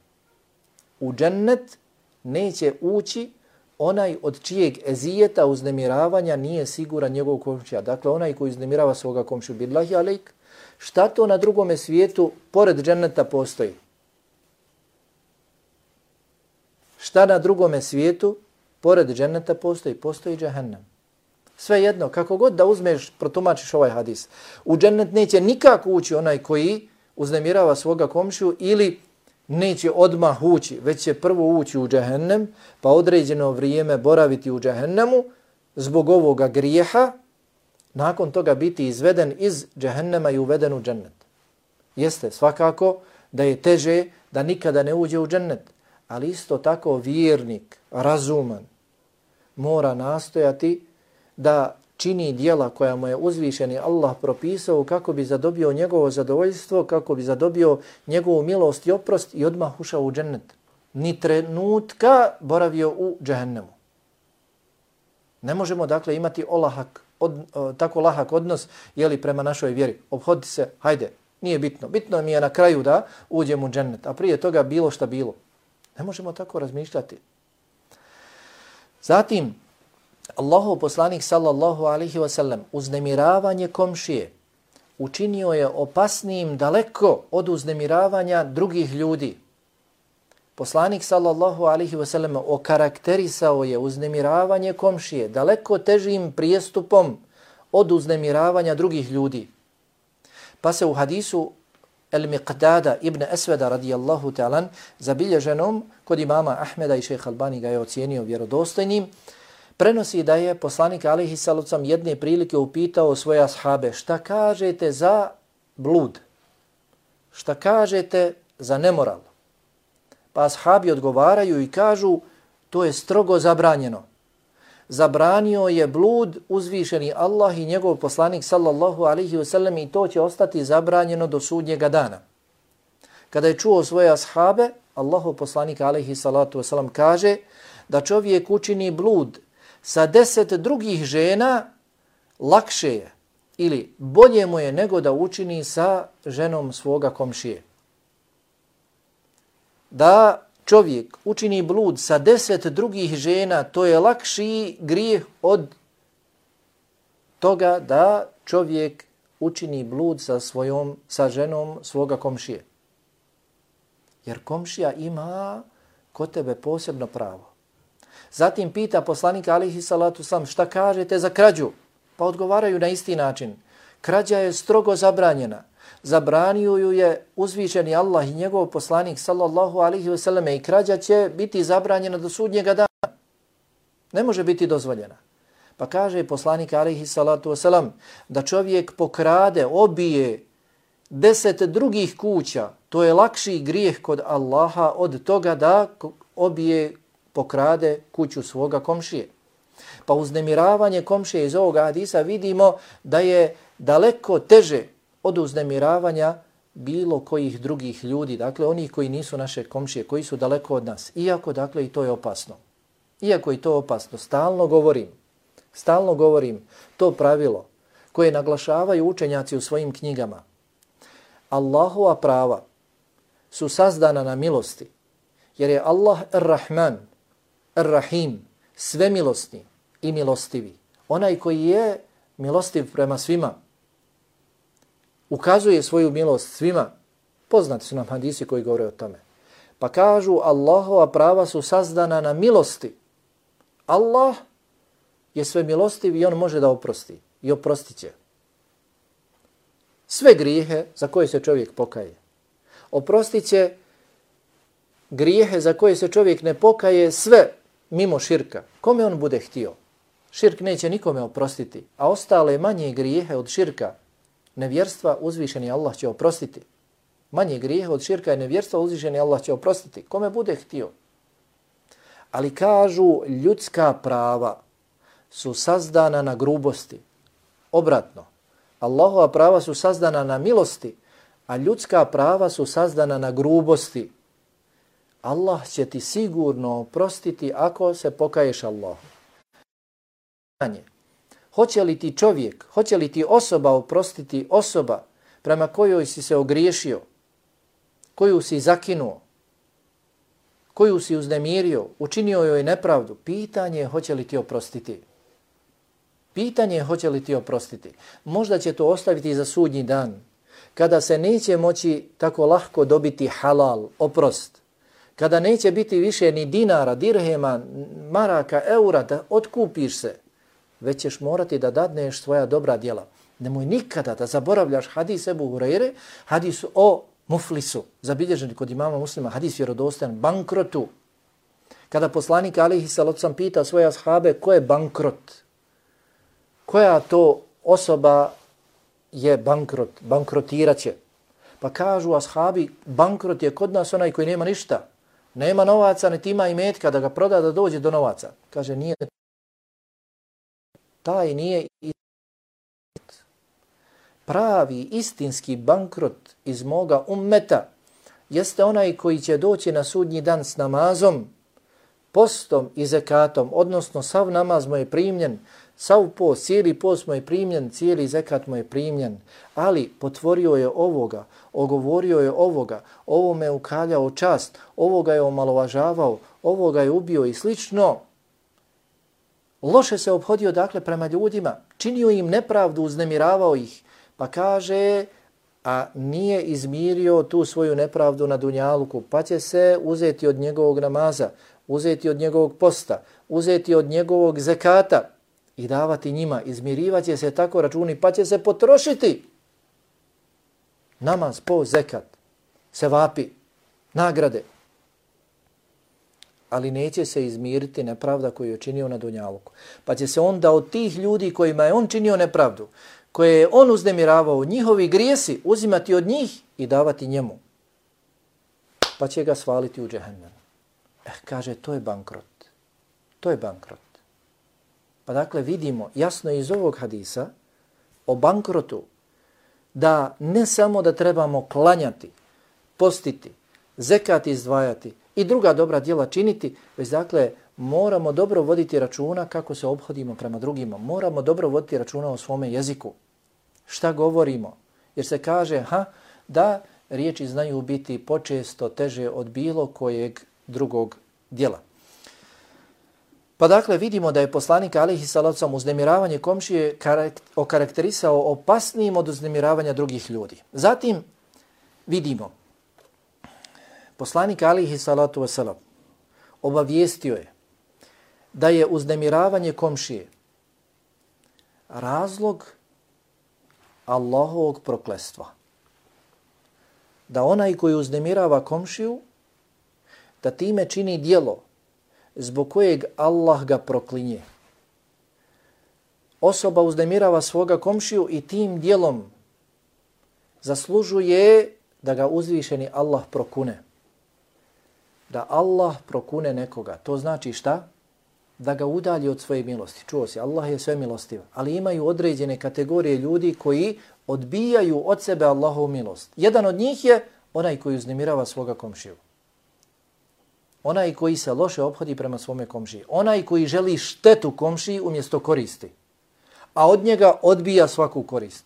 U džennet neće ući onaj od čijeg ezijeta uznemiravanja nije siguran njegov komšija. Dakle, onaj koji uznemirava svoga komšiju. Billahi alejk, šta to na drugome svijetu pored dženneta postoji? Šta na drugome svijetu pored dženneta postoji? Postoji džehennem. Svejedno, kako god da uzmeš, protumačiš ovaj hadis. U džennet neće nikako ući onaj koji uznemirava svoga komšiju ili neće odmah ući, već će prvo ući u džehennem, pa određeno vrijeme boraviti u džehennemu zbog ovoga grijeha, nakon toga biti izveden iz džehennema i uveden u džennet. Jeste, svakako da je teže da nikada ne uđe u džennet, ali isto tako vjernik, razuman, mora nastojati da čini djela koja mu je uzvišeni Allah propisao kako bi zadobio njegovo zadovoljstvo, kako bi zadobio njegovu milost i oprost i odmah ušao u džennet. Ni trenutka boravio u džehennemu. Ne možemo dakle imati tako lahak odnos prema našoj vjeri. Obhoditi se, hajde, nije bitno. Bitno mi je na kraju da uđem u džennet, a prije toga bilo šta bilo. Ne možemo tako razmišljati. Zatim, Allahov poslanik sallallahu alejhi ve sellem uznemiravanje komšije učinio je opasnijim daleko od uznemiravanja drugih ljudi. Poslanik sallallahu alejhi ve sellem okarakterisao je uznemiravanje komšije daleko težim prijestupom od uznemiravanja drugih ljudi. Pa se u hadisu Al-Miqdada ibn Aswada radijallahu ta'ala zabilježenom kod imama Ahmeda i šejh Albani ga je ocijenio vjerodostojnim, prenosi da je poslanik alejhi salatu selam jedne prilike upitao svoje ashabe šta kažete za blud, šta kažete za nemoral. Pa ashabi odgovaraju i kažu to je strogo zabranjeno. Zabranio je blud uzvišeni Allah i njegov poslanik sallallahu alejhi ve sellem i to će ostati zabranjeno do sudnjega dana. Kada je čuo svoje ashabe, Allahov poslanik alejhi salatu ve selam kaže da čovjek učini blud sa 10 drugih žena lakše je ili bolje mu je nego da učini sa ženom svoga komšije. Da čovjek učini blud sa 10 drugih žena, to je lakši grijeh od toga da čovjek učini blud sa ženom svoga komšije. Jer komšija ima kod tebe posebno pravo. Zatim pita poslanika alejhi salatu selam šta kažete za krađu? Pa odgovaraju na isti način. Krađa je strogo zabranjena. Zabranio ju je uzvišeni Allah i njegov poslanik sallallahu alejhi ve selleme i krađa će biti zabranjena do sudnjega dana. Ne može biti dozvoljena. Pa kaže poslanik alejhi salatu selam da čovjek pokrade, obije 10 drugih kuća, to je lakši grijeh kod Allaha od toga da obije, pokrade kuću svoga komšije. Pa uznemiravanje komšije iz ovoga hadisa vidimo da je daleko teže od uznemiravanja bilo kojih drugih ljudi, dakle onih koji nisu naše komšije, koji su daleko od nas. Iako, dakle, i to je opasno. Iako i to je opasno, stalno govorim to pravilo koje naglašavaju učenjaci u svojim knjigama. Allahova prava su sazdana na milosti, jer je Allah Ar-Rahman, Ar-Rahim, svemilosni i milostivi. Onaj koji je milostiv prema svima, ukazuje svoju milost svima. Poznati su nam hadisi koji govore o tome. Pa kažu Allahova prava su sazdana na milosti. Allah je sve milostiv i on može da oprosti. I oprostit će sve grijehe za koje se čovjek pokaje. Oprostit će grijehe za koje se čovjek ne pokaje, sve mimo širka. Kome on bude htio? Širk neće nikome oprostiti, a ostale manje grijehe od širka, nevjerstva, uzvišeni Allah će oprostiti. Manje grijehe od širka i nevjerstva, uzvišeni Allah će oprostiti. Kome bude htio? Ali kažu, ljudska prava su sazdana na grubosti. Obratno, Allahova prava su sazdana na milosti, a ljudska prava su sazdana na grubosti. Allah će ti sigurno oprostiti ako se pokaješ Allahu. Hoće li ti čovjek, hoće li ti osoba oprostiti osoba prema kojoj si se ogriješio, koju si zakinuo, koju si uznemirio, učinio joj nepravdu? Pitanje je hoće li ti oprostiti. Pitanje je hoće li ti oprostiti. Možda će to ostaviti za sudnji dan, kada se neće moći tako lahko dobiti halal, oprost, kada neće biti više ni dinara, dirhema, maraka, eura da otkupiš se, već ćeš morati da dadneš svoja dobra djela. Nemoj nikada da zaboravljaš hadis Ebu Hurajre, hadis o muflisu, zabilježen kod imama Muslima, hadis vjerodostojan, bankrotu. Kada poslanik alejhi selatu vesselam pita svoje ashabe ko je bankrot, koja to osoba je bankrot, bankrotiraće. Pa kažu ashabi, bankrot je kod nas onaj koji nema ništa, nema novaca, niti ima imetka da ga proda da dođe do novaca. Kaže, nije taj nije pravi, istinski bankrot iz moga ummeta jeste onaj koji će doći na sudnji dan s namazom, postom i zekatom, odnosno sav namaz mu je primljen, sav post, cijeli post mu je primljen, cijeli zekat mu je primljen, ali potvorio je ovoga, ogovorio je ovoga, ovome je ukaljao čast, ovoga je omalovažavao, ovoga je ubio i slično. Loše se ophodio dakle prema ljudima, činio im nepravdu, uznemiravao ih, pa kaže, a nije izmirio tu svoju nepravdu na dunjaluku, pa će se uzeti od njegovog namaza, uzeti od njegovog posta, uzeti od njegovog zekata i davati njima. Izmirivat će se tako računi, pa će se potrošiti. Namaz, post, zekat, sevapi, nagrade. Ali neće se izmiriti nepravda koju je činio na dunjaluku. Pa će se onda od tih ljudi kojima je on činio nepravdu, koje je on uznemiravao, njihovi grijesi, uzimati od njih i davati njemu. Pa će ga svaliti u džehennem. Kaže, to je bankrot. To je bankrot. Pa dakle vidimo jasno iz ovog hadisa o bankrotu da ne samo da trebamo klanjati, postiti, zekat izdvajati i druga dobra djela činiti, već dakle moramo dobro voditi računa kako se ophodimo prema drugima. Moramo dobro voditi računa o svome jeziku. Šta govorimo? Jer se kaže da riječi znaju biti počesto teže od bilo kojeg drugog djela. Pa dakle vidimo da je poslanik alejhi selatu vesselam uznemiravanje komšije okarakterisao opasnijim od uznemiravanja drugih ljudi. Zatim vidimo poslanik alejhi selatu vesselam obavijestio je da je uznemiravanje komšije razlog Allahovog prokletstva. Da onaj koji uznemirava komšiju, da time čini djelo zbog kojeg Allah ga proklinje. Osoba uznemirava svoga komšiju i tim djelom zaslužuje da ga uzvišeni Allah prokune. Da Allah prokune nekoga. To znači šta? Da ga udalji od svoje milosti. Čuo si, Allah je sve milostiv. Ali imaju određene kategorije ljudi koji odbijaju od sebe Allahovu milost. Jedan od njih je onaj koji uznemirava svoga komšiju. Onaj koji se loše ophodi prema svome komšiji. Onaj koji želi štetu komšiji umjesto koristi. A od njega odbija svaku korist.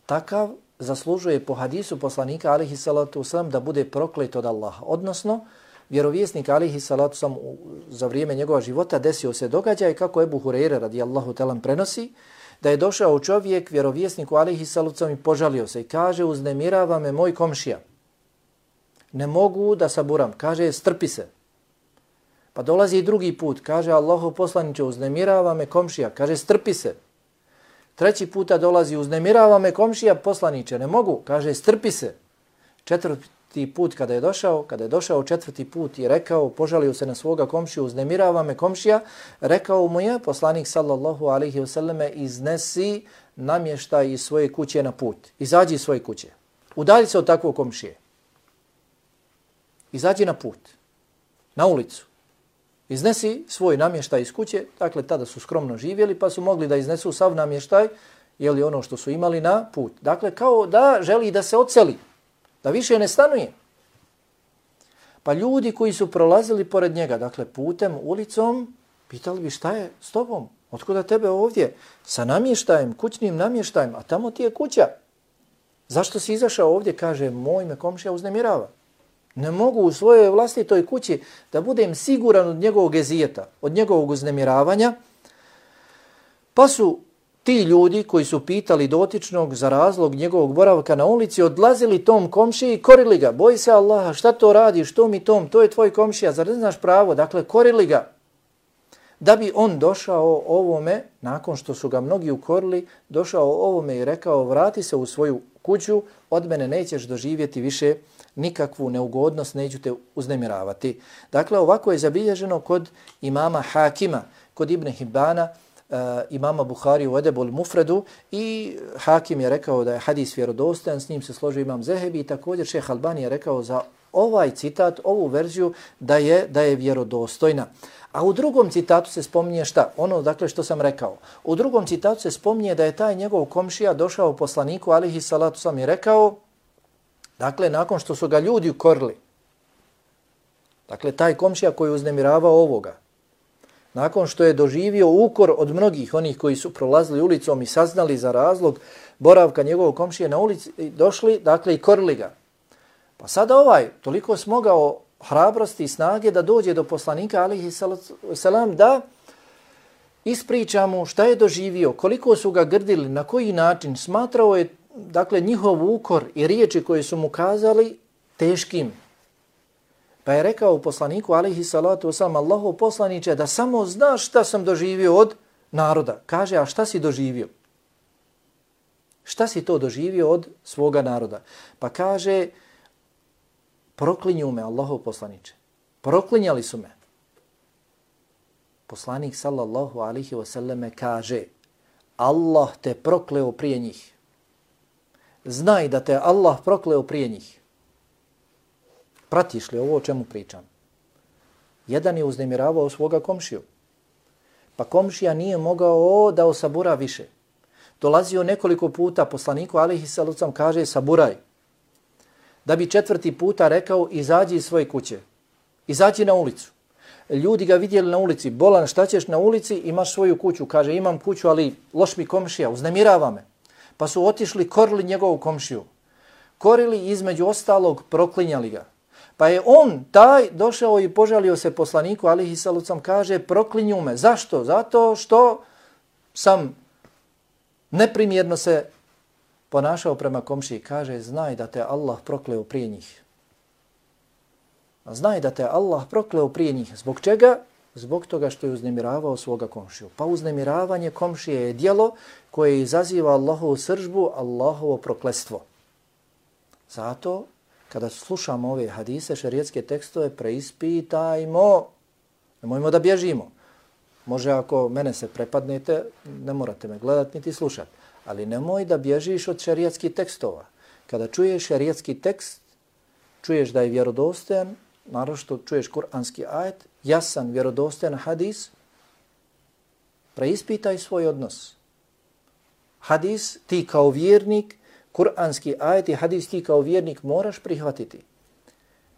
Takav zaslužuje po hadisu poslanika alihi salatu wasalam da bude proklet od Allaha. Odnosno, vjerovjesnik alihi salatu wasalam za vrijeme njegova života desio se događaj kako Ebu Hureyre radijallahu talan prenosi, da je došao čovjek vjerovjesniku alihi salatu wasalam i požalio se i kaže uznemirava me moj komšija. Ne mogu da saburam. Kaže strpi se. Pa dolazi i drugi put. Kaže Allahu poslaniče uznemirava me komšija. Kaže strpi se. Treći puta dolazi uznemirava me komšija poslaniče. Ne mogu. Kaže strpi se. Četvrti put kada je došao četvrti put i rekao, požalio se na svoga komšiju, uznemirava me komšija, rekao mu je poslanik sallallahu alaihi wasallam iznesi namještaj iz svoje kuće na put. Izađi iz svoje kuće. Udalji se od takvog komšije. Izađi na put, na ulicu. Iznesi svoj namještaj iz kuće, dakle tada su skromno živjeli pa su mogli da iznesu sav namještaj, jeli ono što su imali na put. Dakle kao da želi da se odseli, da više ne stanuje. Pa ljudi koji su prolazili pored njega, dakle putem, ulicom, pitali bi šta je s tobom? Otkuda tebe ovdje? Sa namještajem, kućnim namještajem, a tamo ti je kuća. Zašto si izašao ovdje? Kaže, moj me komšija uznemirava. Ne mogu u svojoj vlastitoj kući da budem siguran od njegovog ezijeta, od njegovog uznemiravanja. Pa su ti ljudi koji su pitali dotičnog za razlog njegovog boravka na ulici odlazili tom komšiji i korili ga. Boji se Allaha, šta to radiš, što mi tom, to je tvoj komšija, zar ne znaš pravo? Dakle, korili ga. Da bi on došao ovome, nakon što su ga mnogi ukorili, došao ovome i rekao vrati se u svoju kuću, od mene nećeš doživjeti više nikakvu neugodnost, neću te uznemiravati. Dakle, ovako je zabilježeno kod imama Hakima, kod Ibn Hibana, imama Buhari u Edebul Mufredu i Hakim je rekao da je hadis vjerodostojan, s njim se složio imam Zehebi i također šejh Albani je rekao za ovaj citat, ovu verziju da je vjerodostojna. A u drugom citatu se spominje šta? Ono dakle što sam rekao. U drugom citatu se spominje da je taj njegov komšija došao poslaniku alihi salatu sam i rekao, dakle nakon što su ga ljudi ukorili, dakle taj komšija koji je uznemiravao ovoga, nakon što je doživio ukor od mnogih onih koji su prolazili ulicom i saznali za razlog boravka njegovog komšije na ulici, došli dakle i korili ga. Pa sada ovaj toliko smogao hrabrosti i snage da dođe do poslanika alihi salam da ispriča mu šta je doživio, koliko su ga grdili, na koji način. Smatrao je dakle njihov ukor i riječi koje su mu kazali teškim. Pa je rekao poslaniku alihi salatu wasalam, Allahu poslaniče, da samo znaš šta sam doživio od naroda. Kaže, a šta si doživio? Šta si to doživio od svoga naroda? Pa kaže, proklinju me, Allahu poslaniče. Proklinjali su me. Poslanik sallallahu alihi wasallam kaže, Allah te prokleo prije njih. Znaj da te Allah prokleo prije njih. Pratiš li ovo o čemu pričam? Jedan je uznemiravao svoga komšiju. Pa komšija nije mogao da osabura više. Dolazio nekoliko puta poslaniku alihi sallam kaže saburaj. Da bi četvrti puta rekao izađi iz svoje kuće. Izađi na ulicu. Ljudi ga vidjeli na ulici. Bolan, šta ćeš na ulici? Imaš svoju kuću. Kaže imam kuću ali loš mi komšija. Uznemirava me. Pa su otišli, korili njegovu komšiju. Korili između ostalog, proklinjali ga. Pa je on taj došao i požalio se poslaniku alihi sallam kaže proklinju me. Zašto? Zato što sam neprimjerno se ponašao prema komšiji. Kaže znaj da te Allah prokleo prije njih. Znaj da te Allah prokleo prije njih. Zbog čega? Zbog toga što je uznemiravao svoga komšiju. Pa uznemiravanje komšije je djelo koje izaziva Allahovu sržbu, Allahovo prokletstvo. Zato kada slušamo ove hadise, šerijetske tekstove, preispitajmo. Nemojmo da bježimo. Može ako mene se prepadnete, ne morate me gledati niti slušati. Ali nemoj da bježiš od šerijatskih tekstova. Kada čuješ šerijatski tekst, čuješ da je vjerodostojan, naročito čuješ kuranski ajet, jasan, vjerodostojan hadis, preispitaj svoj odnos. Hadis ti kao vjernik, kuranski ajet i hadis ti kao vjernik moraš prihvatiti.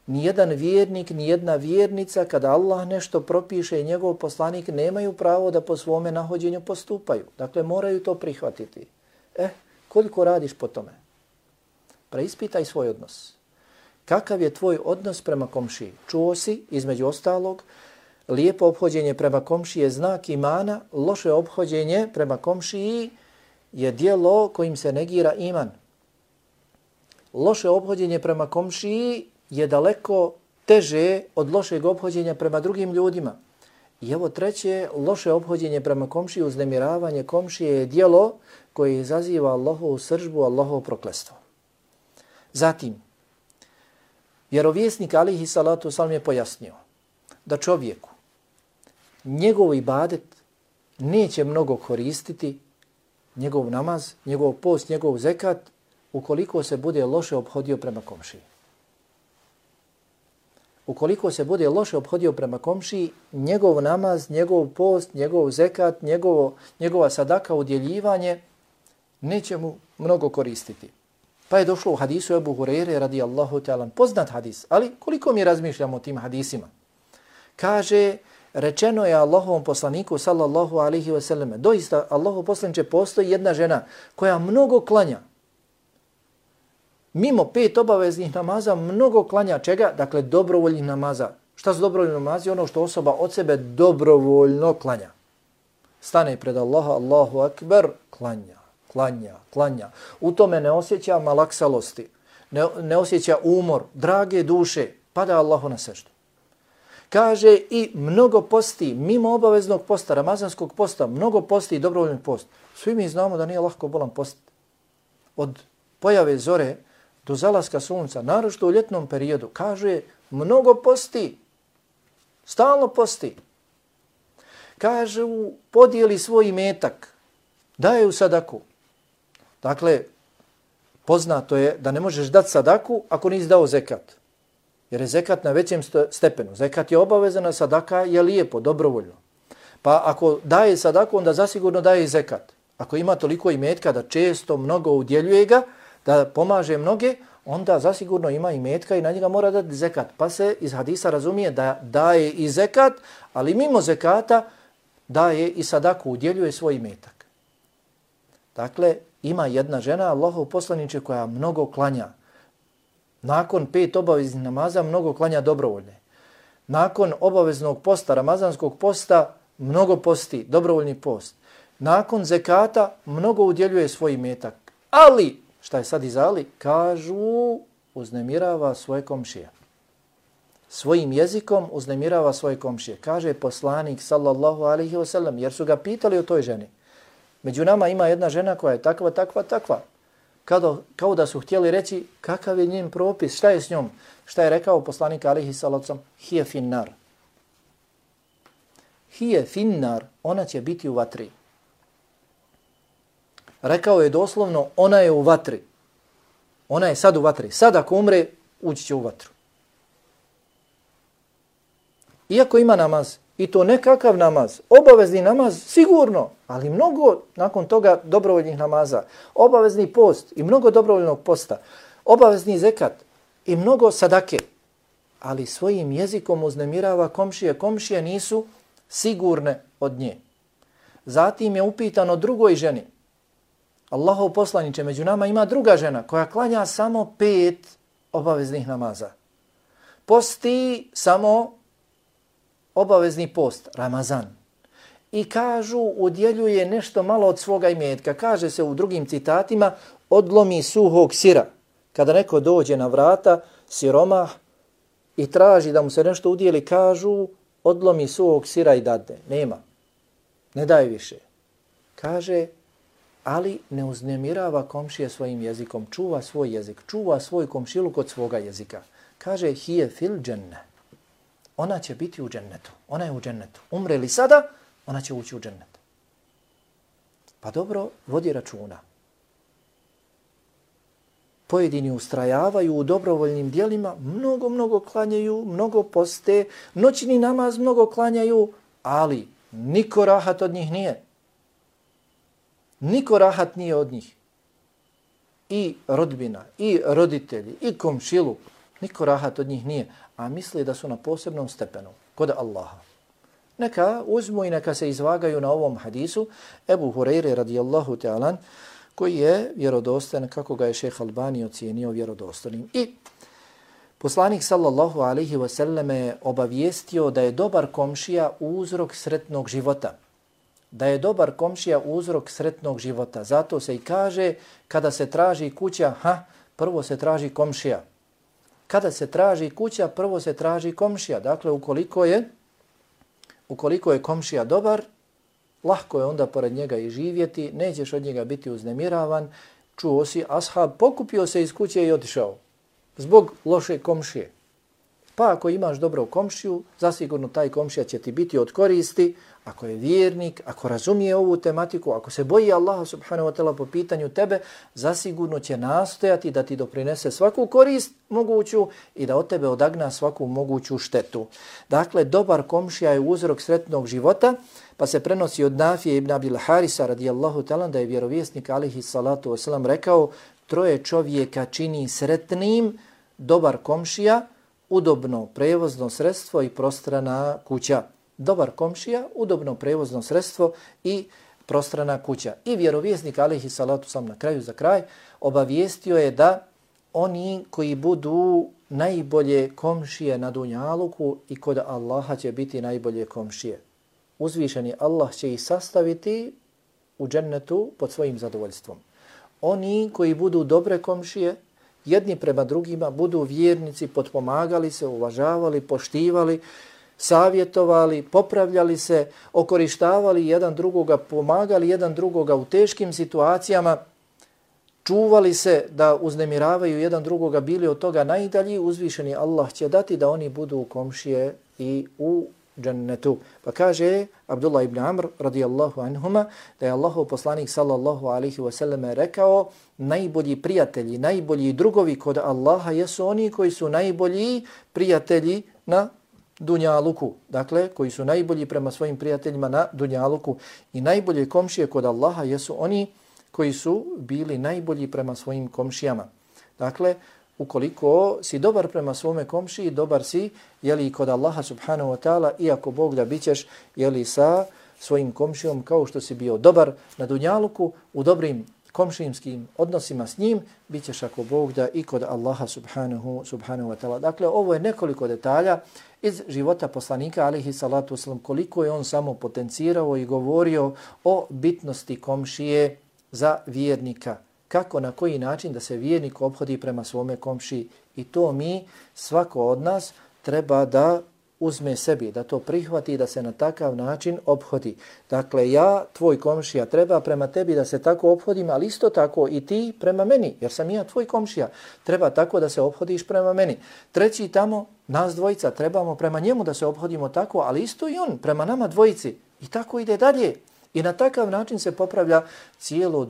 Nijedan vjernik, nijedna vjernica, kada Allah nešto propiše i njegov poslanik, nemaju pravo da po svome nahođenju postupaju. Dakle, moraju to prihvatiti. Koliko radiš po tome? Preispitaj svoj odnos. Kakav je tvoj odnos prema komšiji? Čuo si, između ostalog, lijepo ophođenje prema komšiji je znak imana, loše ophođenje prema komšiji je djelo kojim se negira iman. Loše ophođenje prema komšiji je daleko teže od lošeg ophođenja prema drugim ljudima. I evo treće, loše ophođenje prema komšiji, uznemiravanje komšije je djelo koje izaziva Allahovu sržbu, Allahovo prokletstvo. Zatim, vjerovjesnik alihi salatu wasalam je pojasnio da čovjeku njegov ibadet neće mnogo koristiti, njegov namaz, njegov post, njegov zekat, ukoliko se bude loše ophodio prema komšiji. Ukoliko se bude loše ophodio prema komšiji, njegov namaz, njegov post, njegov zekat, njegova sadaka, udjeljivanje, neće mu mnogo koristiti. Pa je došlo u hadisu Ebu Hureyre radijallahu ta'ala, poznat hadis, ali koliko mi razmišljamo o tim hadisima? Kaže, rečeno je Allahovom poslaniku sallallahu alaihi wa sallam, doista Allahov poslaniče postoji jedna žena koja mnogo klanja. Mimo 5 obaveznih namaza mnogo klanja čega? Dakle, dobrovoljnih namaza. Šta su dobrovoljni namazi? Ono što osoba od sebe dobrovoljno klanja. Stane pred Allaha, Allahu akbar, klanja. U tome ne osjeća malaksalosti, ne osjeća umor, drage duše, pada Allahu na seždu. Kaže i mnogo posti, mimo obaveznog posta, ramazanskog posta, mnogo posti i dobrovoljni post. Svi mi znamo da nije lahko bolan post. Od pojave zore do zalaska sunca, naročito u ljetnom periodu, kaže mnogo posti, stalno posti. Kaže podijeli svoj imetak, daje u sadaku. Dakle, poznato je da ne možeš dati sadaku ako nisi dao zekat. Jer je zekat na većem stepenu. Zekat je obavezan, sadaka je lijepo, dobrovoljno. Pa ako daje sadaku, onda zasigurno daje i zekat. Ako ima toliko imetka da često mnogo udjeljuje ga, da pomaže mnoge, onda zasigurno ima imetka i na njega mora dati zekat. Pa se iz hadisa razumije da daje i zekat, ali mimo zekata daje i sadaku, udjeljuje svoj imetak. Dakle, ima jedna žena, Allahov poslaniče, koja mnogo klanja. Nakon 5 obaveznih namaza mnogo klanja dobrovoljne. Nakon obaveznog posta, ramazanskog posta, mnogo posti, dobrovoljni post. Nakon zekata mnogo udjeljuje svoj imetak. Ali, šta je sad iz ali? Kažu, uznemirava svoje komšije. Svojim jezikom uznemirava svoje komšije. Kaže poslanik sallallahu alaihi wasallam, jer su ga pitali o toj ženi. Među nama ima jedna žena koja je takva. Kao da su htjeli reći kakav je njen propis, šta je s njom. Šta je rekao poslanik alaihi sallam? Hije finnar. Hije finnar, ona će biti u vatri. Rekao je doslovno, ona je u vatri. Ona je sad u vatri. Sad ako umre, ući će u vatru. Iako ima namaz, i to nekakav namaz, obavezni namaz, sigurno, ali mnogo nakon toga dobrovoljnih namaza, obavezni post i mnogo dobrovoljnog posta, obavezni zekat i mnogo sadake, ali svojim jezikom uznemirava komšije. Komšije nisu sigurne od nje. Zatim je upitano drugoj ženi. Allahov poslaniče, među nama ima druga žena koja klanja samo 5 obaveznih namaza. Posti samo obavezni post, Ramazan. I kažu, udjeljuje nešto malo od svoga imetka. Kaže se u drugim citatima, odlomi suhog sira. Kada neko dođe na vrata, siromah, i traži da mu se nešto udjeli, kažu, odlomi suhog sira i dadne. Nema. Ne daje više. Kaže, ali ne uznemirava komšije svojim jezikom. Čuva svoj jezik. Čuva svoj komšiluk od svoga jezika. Kaže, hije fil dženne. Ona će biti u džennetu. Ona je u džennetu. Umre li sada, ona će ući u džennet. Pa dobro, vodi računa. pojedini ustrajavaju u dobrovoljnim dijelima, mnogo klanjaju, mnogo poste, noćni namaz mnogo klanjaju, ali niko rahat od njih nije. Niko rahat nije od njih. I rodbina, i roditelji, i komšiluk, niko rahat od njih nije, a misle da su na posebnom stepenu kod Allaha. Neka uzmu i neka se izvagaju na ovom hadisu Ebu Hureyre radijallahu ta'ala, koji je vjerodostan, kako ga je šejh Albani ocijenio vjerodostojnim. I poslanik sallallahu alaihi wa sallam je obavijestio da je dobar komšija uzrok sretnog života. Da je dobar komšija uzrok sretnog života. Zato se i kaže, kada se traži kuća, prvo se traži komšija. Kada se traži kuća, prvo se traži komšija. Dakle, ukoliko je komšija dobar, lahko je onda pored njega i živjeti, nećeš od njega biti uznemiravan. Čuo si, ashab pokupio se iz kuće i otišao zbog loše komšije. Pa ako imaš dobro komšiju, zasigurno taj komšija će ti biti od koristi. Ako je vjernik, ako razumije ovu tematiku, ako se boji Allaha subhanahu wa ta'ala po pitanju tebe, zasigurno će nastojati da ti doprinese svaku korist moguću i da od tebe odagna svaku moguću štetu. Dakle, dobar komšija je uzrok sretnog života, pa se prenosi od Nafije ibn Abil Harisa radijallahu ta'ala da je vjerovjesnik alihi salatu wasalam rekao: troje čovjeka čini sretnim dobar komšija, udobno prevozno sredstvo i prostrana kuća. Dobar komšija, udobno prevozno sredstvo i prostrana kuća. I vjerovjesnik alejhi salatu sam na kraju za kraj obavijestio je da oni koji budu najbolje komšije na dunjaluku i kod Allaha će biti najbolje komšije. Uzvišeni Allah će ih sastaviti u džennetu pod svojim zadovoljstvom. Oni koji budu dobre komšije, jedni prema drugima, budu vjernici, potpomagali se, uvažavali, poštivali, savjetovali, popravljali se, okorištavali jedan drugoga, pomagali jedan drugoga u teškim situacijama, čuvali se da uznemiravaju jedan drugoga, bili od toga najdalji, uzvišeni Allah će dati da oni budu komšije i u džennetu. Pa kaže Abdullah ibn Amr radijallahu anhuma da je Allahov poslanik sallallahu alaihi wa sallam rekao: najbolji prijatelji, najbolji drugovi kod Allaha jesu oni koji su najbolji prijatelji na dunjaluku. Dakle, koji su najbolji prema svojim prijateljima na dunjaluku, i najbolje komšije kod Allaha jesu oni koji su bili najbolji prema svojim komšijama. Dakle, ukoliko si dobar prema svome komšiji, dobar si i kod Allaha subhanahu wa ta'ala, iako Bog da bićeš sa svojim komšijom kao što si bio dobar na dunjaluku, u dobrim komšijskim odnosima s njim, bit ćeš ako Bog da i kod Allaha subhanahu wa ta'ala. Dakle, ovo je nekoliko detalja iz života poslanika alejhi salatu vesselam, koliko je on samo potencirao i govorio o bitnosti komšije za vjernika. Kako, na koji način da se vjernik ophodi prema svome komšiji. I to mi, svako od nas, treba da uzme sebi, da to prihvati i da se na takav način ophodi. Dakle, ja, tvoj komšija, treba prema tebi da se tako ophodim, ali isto tako i ti prema meni, jer sam ja tvoj komšija. Treba tako da se ophodiš prema meni. Treći tamo, nas dvojica, trebamo prema njemu da se ophodimo tako, ali isto i on prema nama dvojici. I tako ide dalje. I na takav način se popravlja cijelo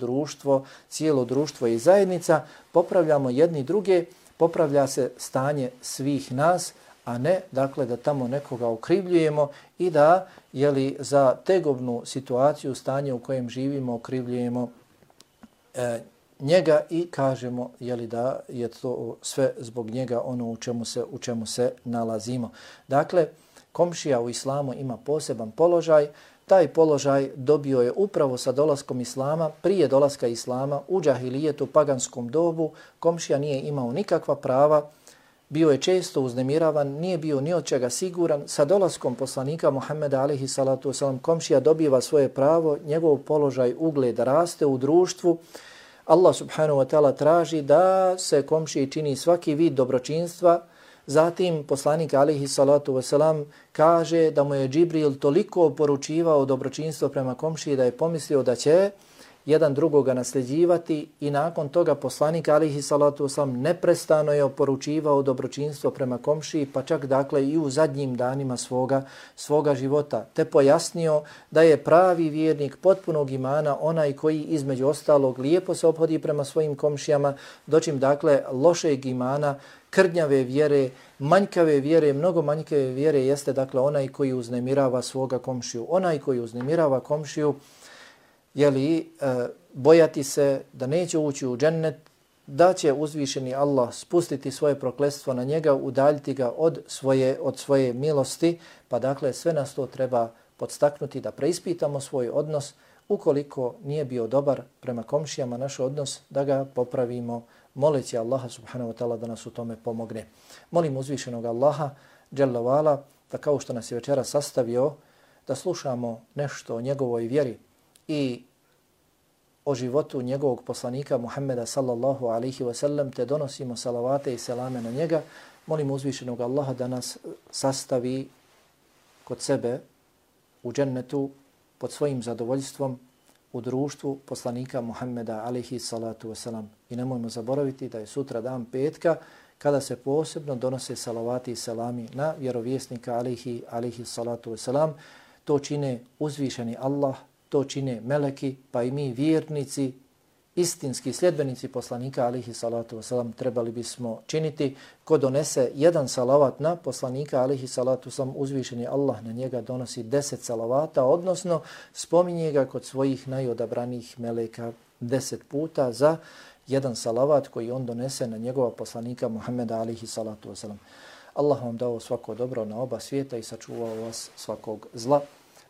društvo i zajednica, popravljamo jedni druge, popravlja se stanje svih nas, a ne dakle da tamo nekoga okrivljujemo i da za tegobnu situaciju, stanje u kojem živimo, okrivljujemo njega i kažemo da je to sve zbog njega ono u čemu se nalazimo. Dakle, komšija u islamu ima poseban položaj. Taj položaj dobio je upravo sa dolaskom islama. Prije dolaska islama u džahilijetu, paganskom dobu, komšija nije imao nikakva prava, bio je često uznemiravan, nije bio ni od čega siguran. Sa dolaskom poslanika Muhammeda alejhi salatu vesselam komšija dobiva svoje pravo, njegov položaj, ugled raste u društvu. Allah subhanahu wa ta'ala traži da se komšiji čini svaki vid dobročinstva. Zatim poslanik alejhi salatu vesselam kaže da mu je Džibril toliko poručivao dobročinstvo prema komšiji da je pomislio da će jedan drugoga nasljeđivati i nakon toga poslanik alejhi salatu vesselam neprestano je oporučivao dobročinstvo prema komšiji, pa čak dakle i u zadnjim danima svoga života, te pojasnio da je pravi vjernik potpunog imana onaj koji između ostalog lijepo se ophodi prema svojim komšijama, dočim dakle lošeg imana, krnjave vjere, manjkave vjere, mnogo manjkave vjere jeste dakle onaj koji uznemirava svoga komšiju. Onaj koji uznemirava komšiju, bojati se da neće ući u džennet, da će uzvišeni Allah spustiti svoje prokletstvo na njega, udaljiti ga od svoje milosti, pa dakle sve nas to treba podstaknuti da preispitamo svoj odnos. Ukoliko nije bio dobar prema komšijama naš odnos, da ga popravimo, moleći Allaha subhanahu wa ta'ala da nas u tome pomogne. Molim uzvišenog Allaha dželle ve ala da kao što nas je večera sastavio, da slušamo nešto o njegovoj vjeri i o životu njegovog poslanika Muhammeda sallallahu alaihi wa sallam, te donosimo salavate i selame na njega. Molim uzvišenog Allaha da nas sastavi kod sebe u džennetu pod svojim zadovoljstvom u društvu poslanika Muhammeda alaihi salatu wasalam. I nemojmo zaboraviti da je sutra dan petka kada se posebno donose salavati i selami na vjerovjesnika alaihi salatu wasalam. To čine uzvišeni Allah, to čine meleki, pa i mi vjernici, istinski sljedbenici poslanika alaihi salatu wasalam trebali bismo činiti. Ko donese jedan salavat na poslanika alaihi salatu wasalam, uzvišeni Allah na njega donosi 10 salavata, odnosno spominje ga kod svojih najodabranijih meleka 10 puta za jedan salavat koji on donese na njegova poslanika Muhammeda alaihi salatu wasalam. Allah vam dao svako dobro na oba svijeta i sačuvao vas svakog zla.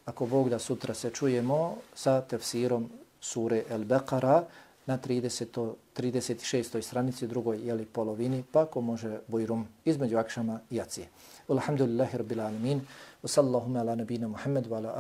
Ako Bog da, sutra se čujemo sa tefsirom sure El-Beqara na 36. stranici, drugoj polovini, pa ko može bujrum između akšama i jacije. Alhamdulillahi rabbil alamin, wa sallallahu ala nabina Muhammad wa ala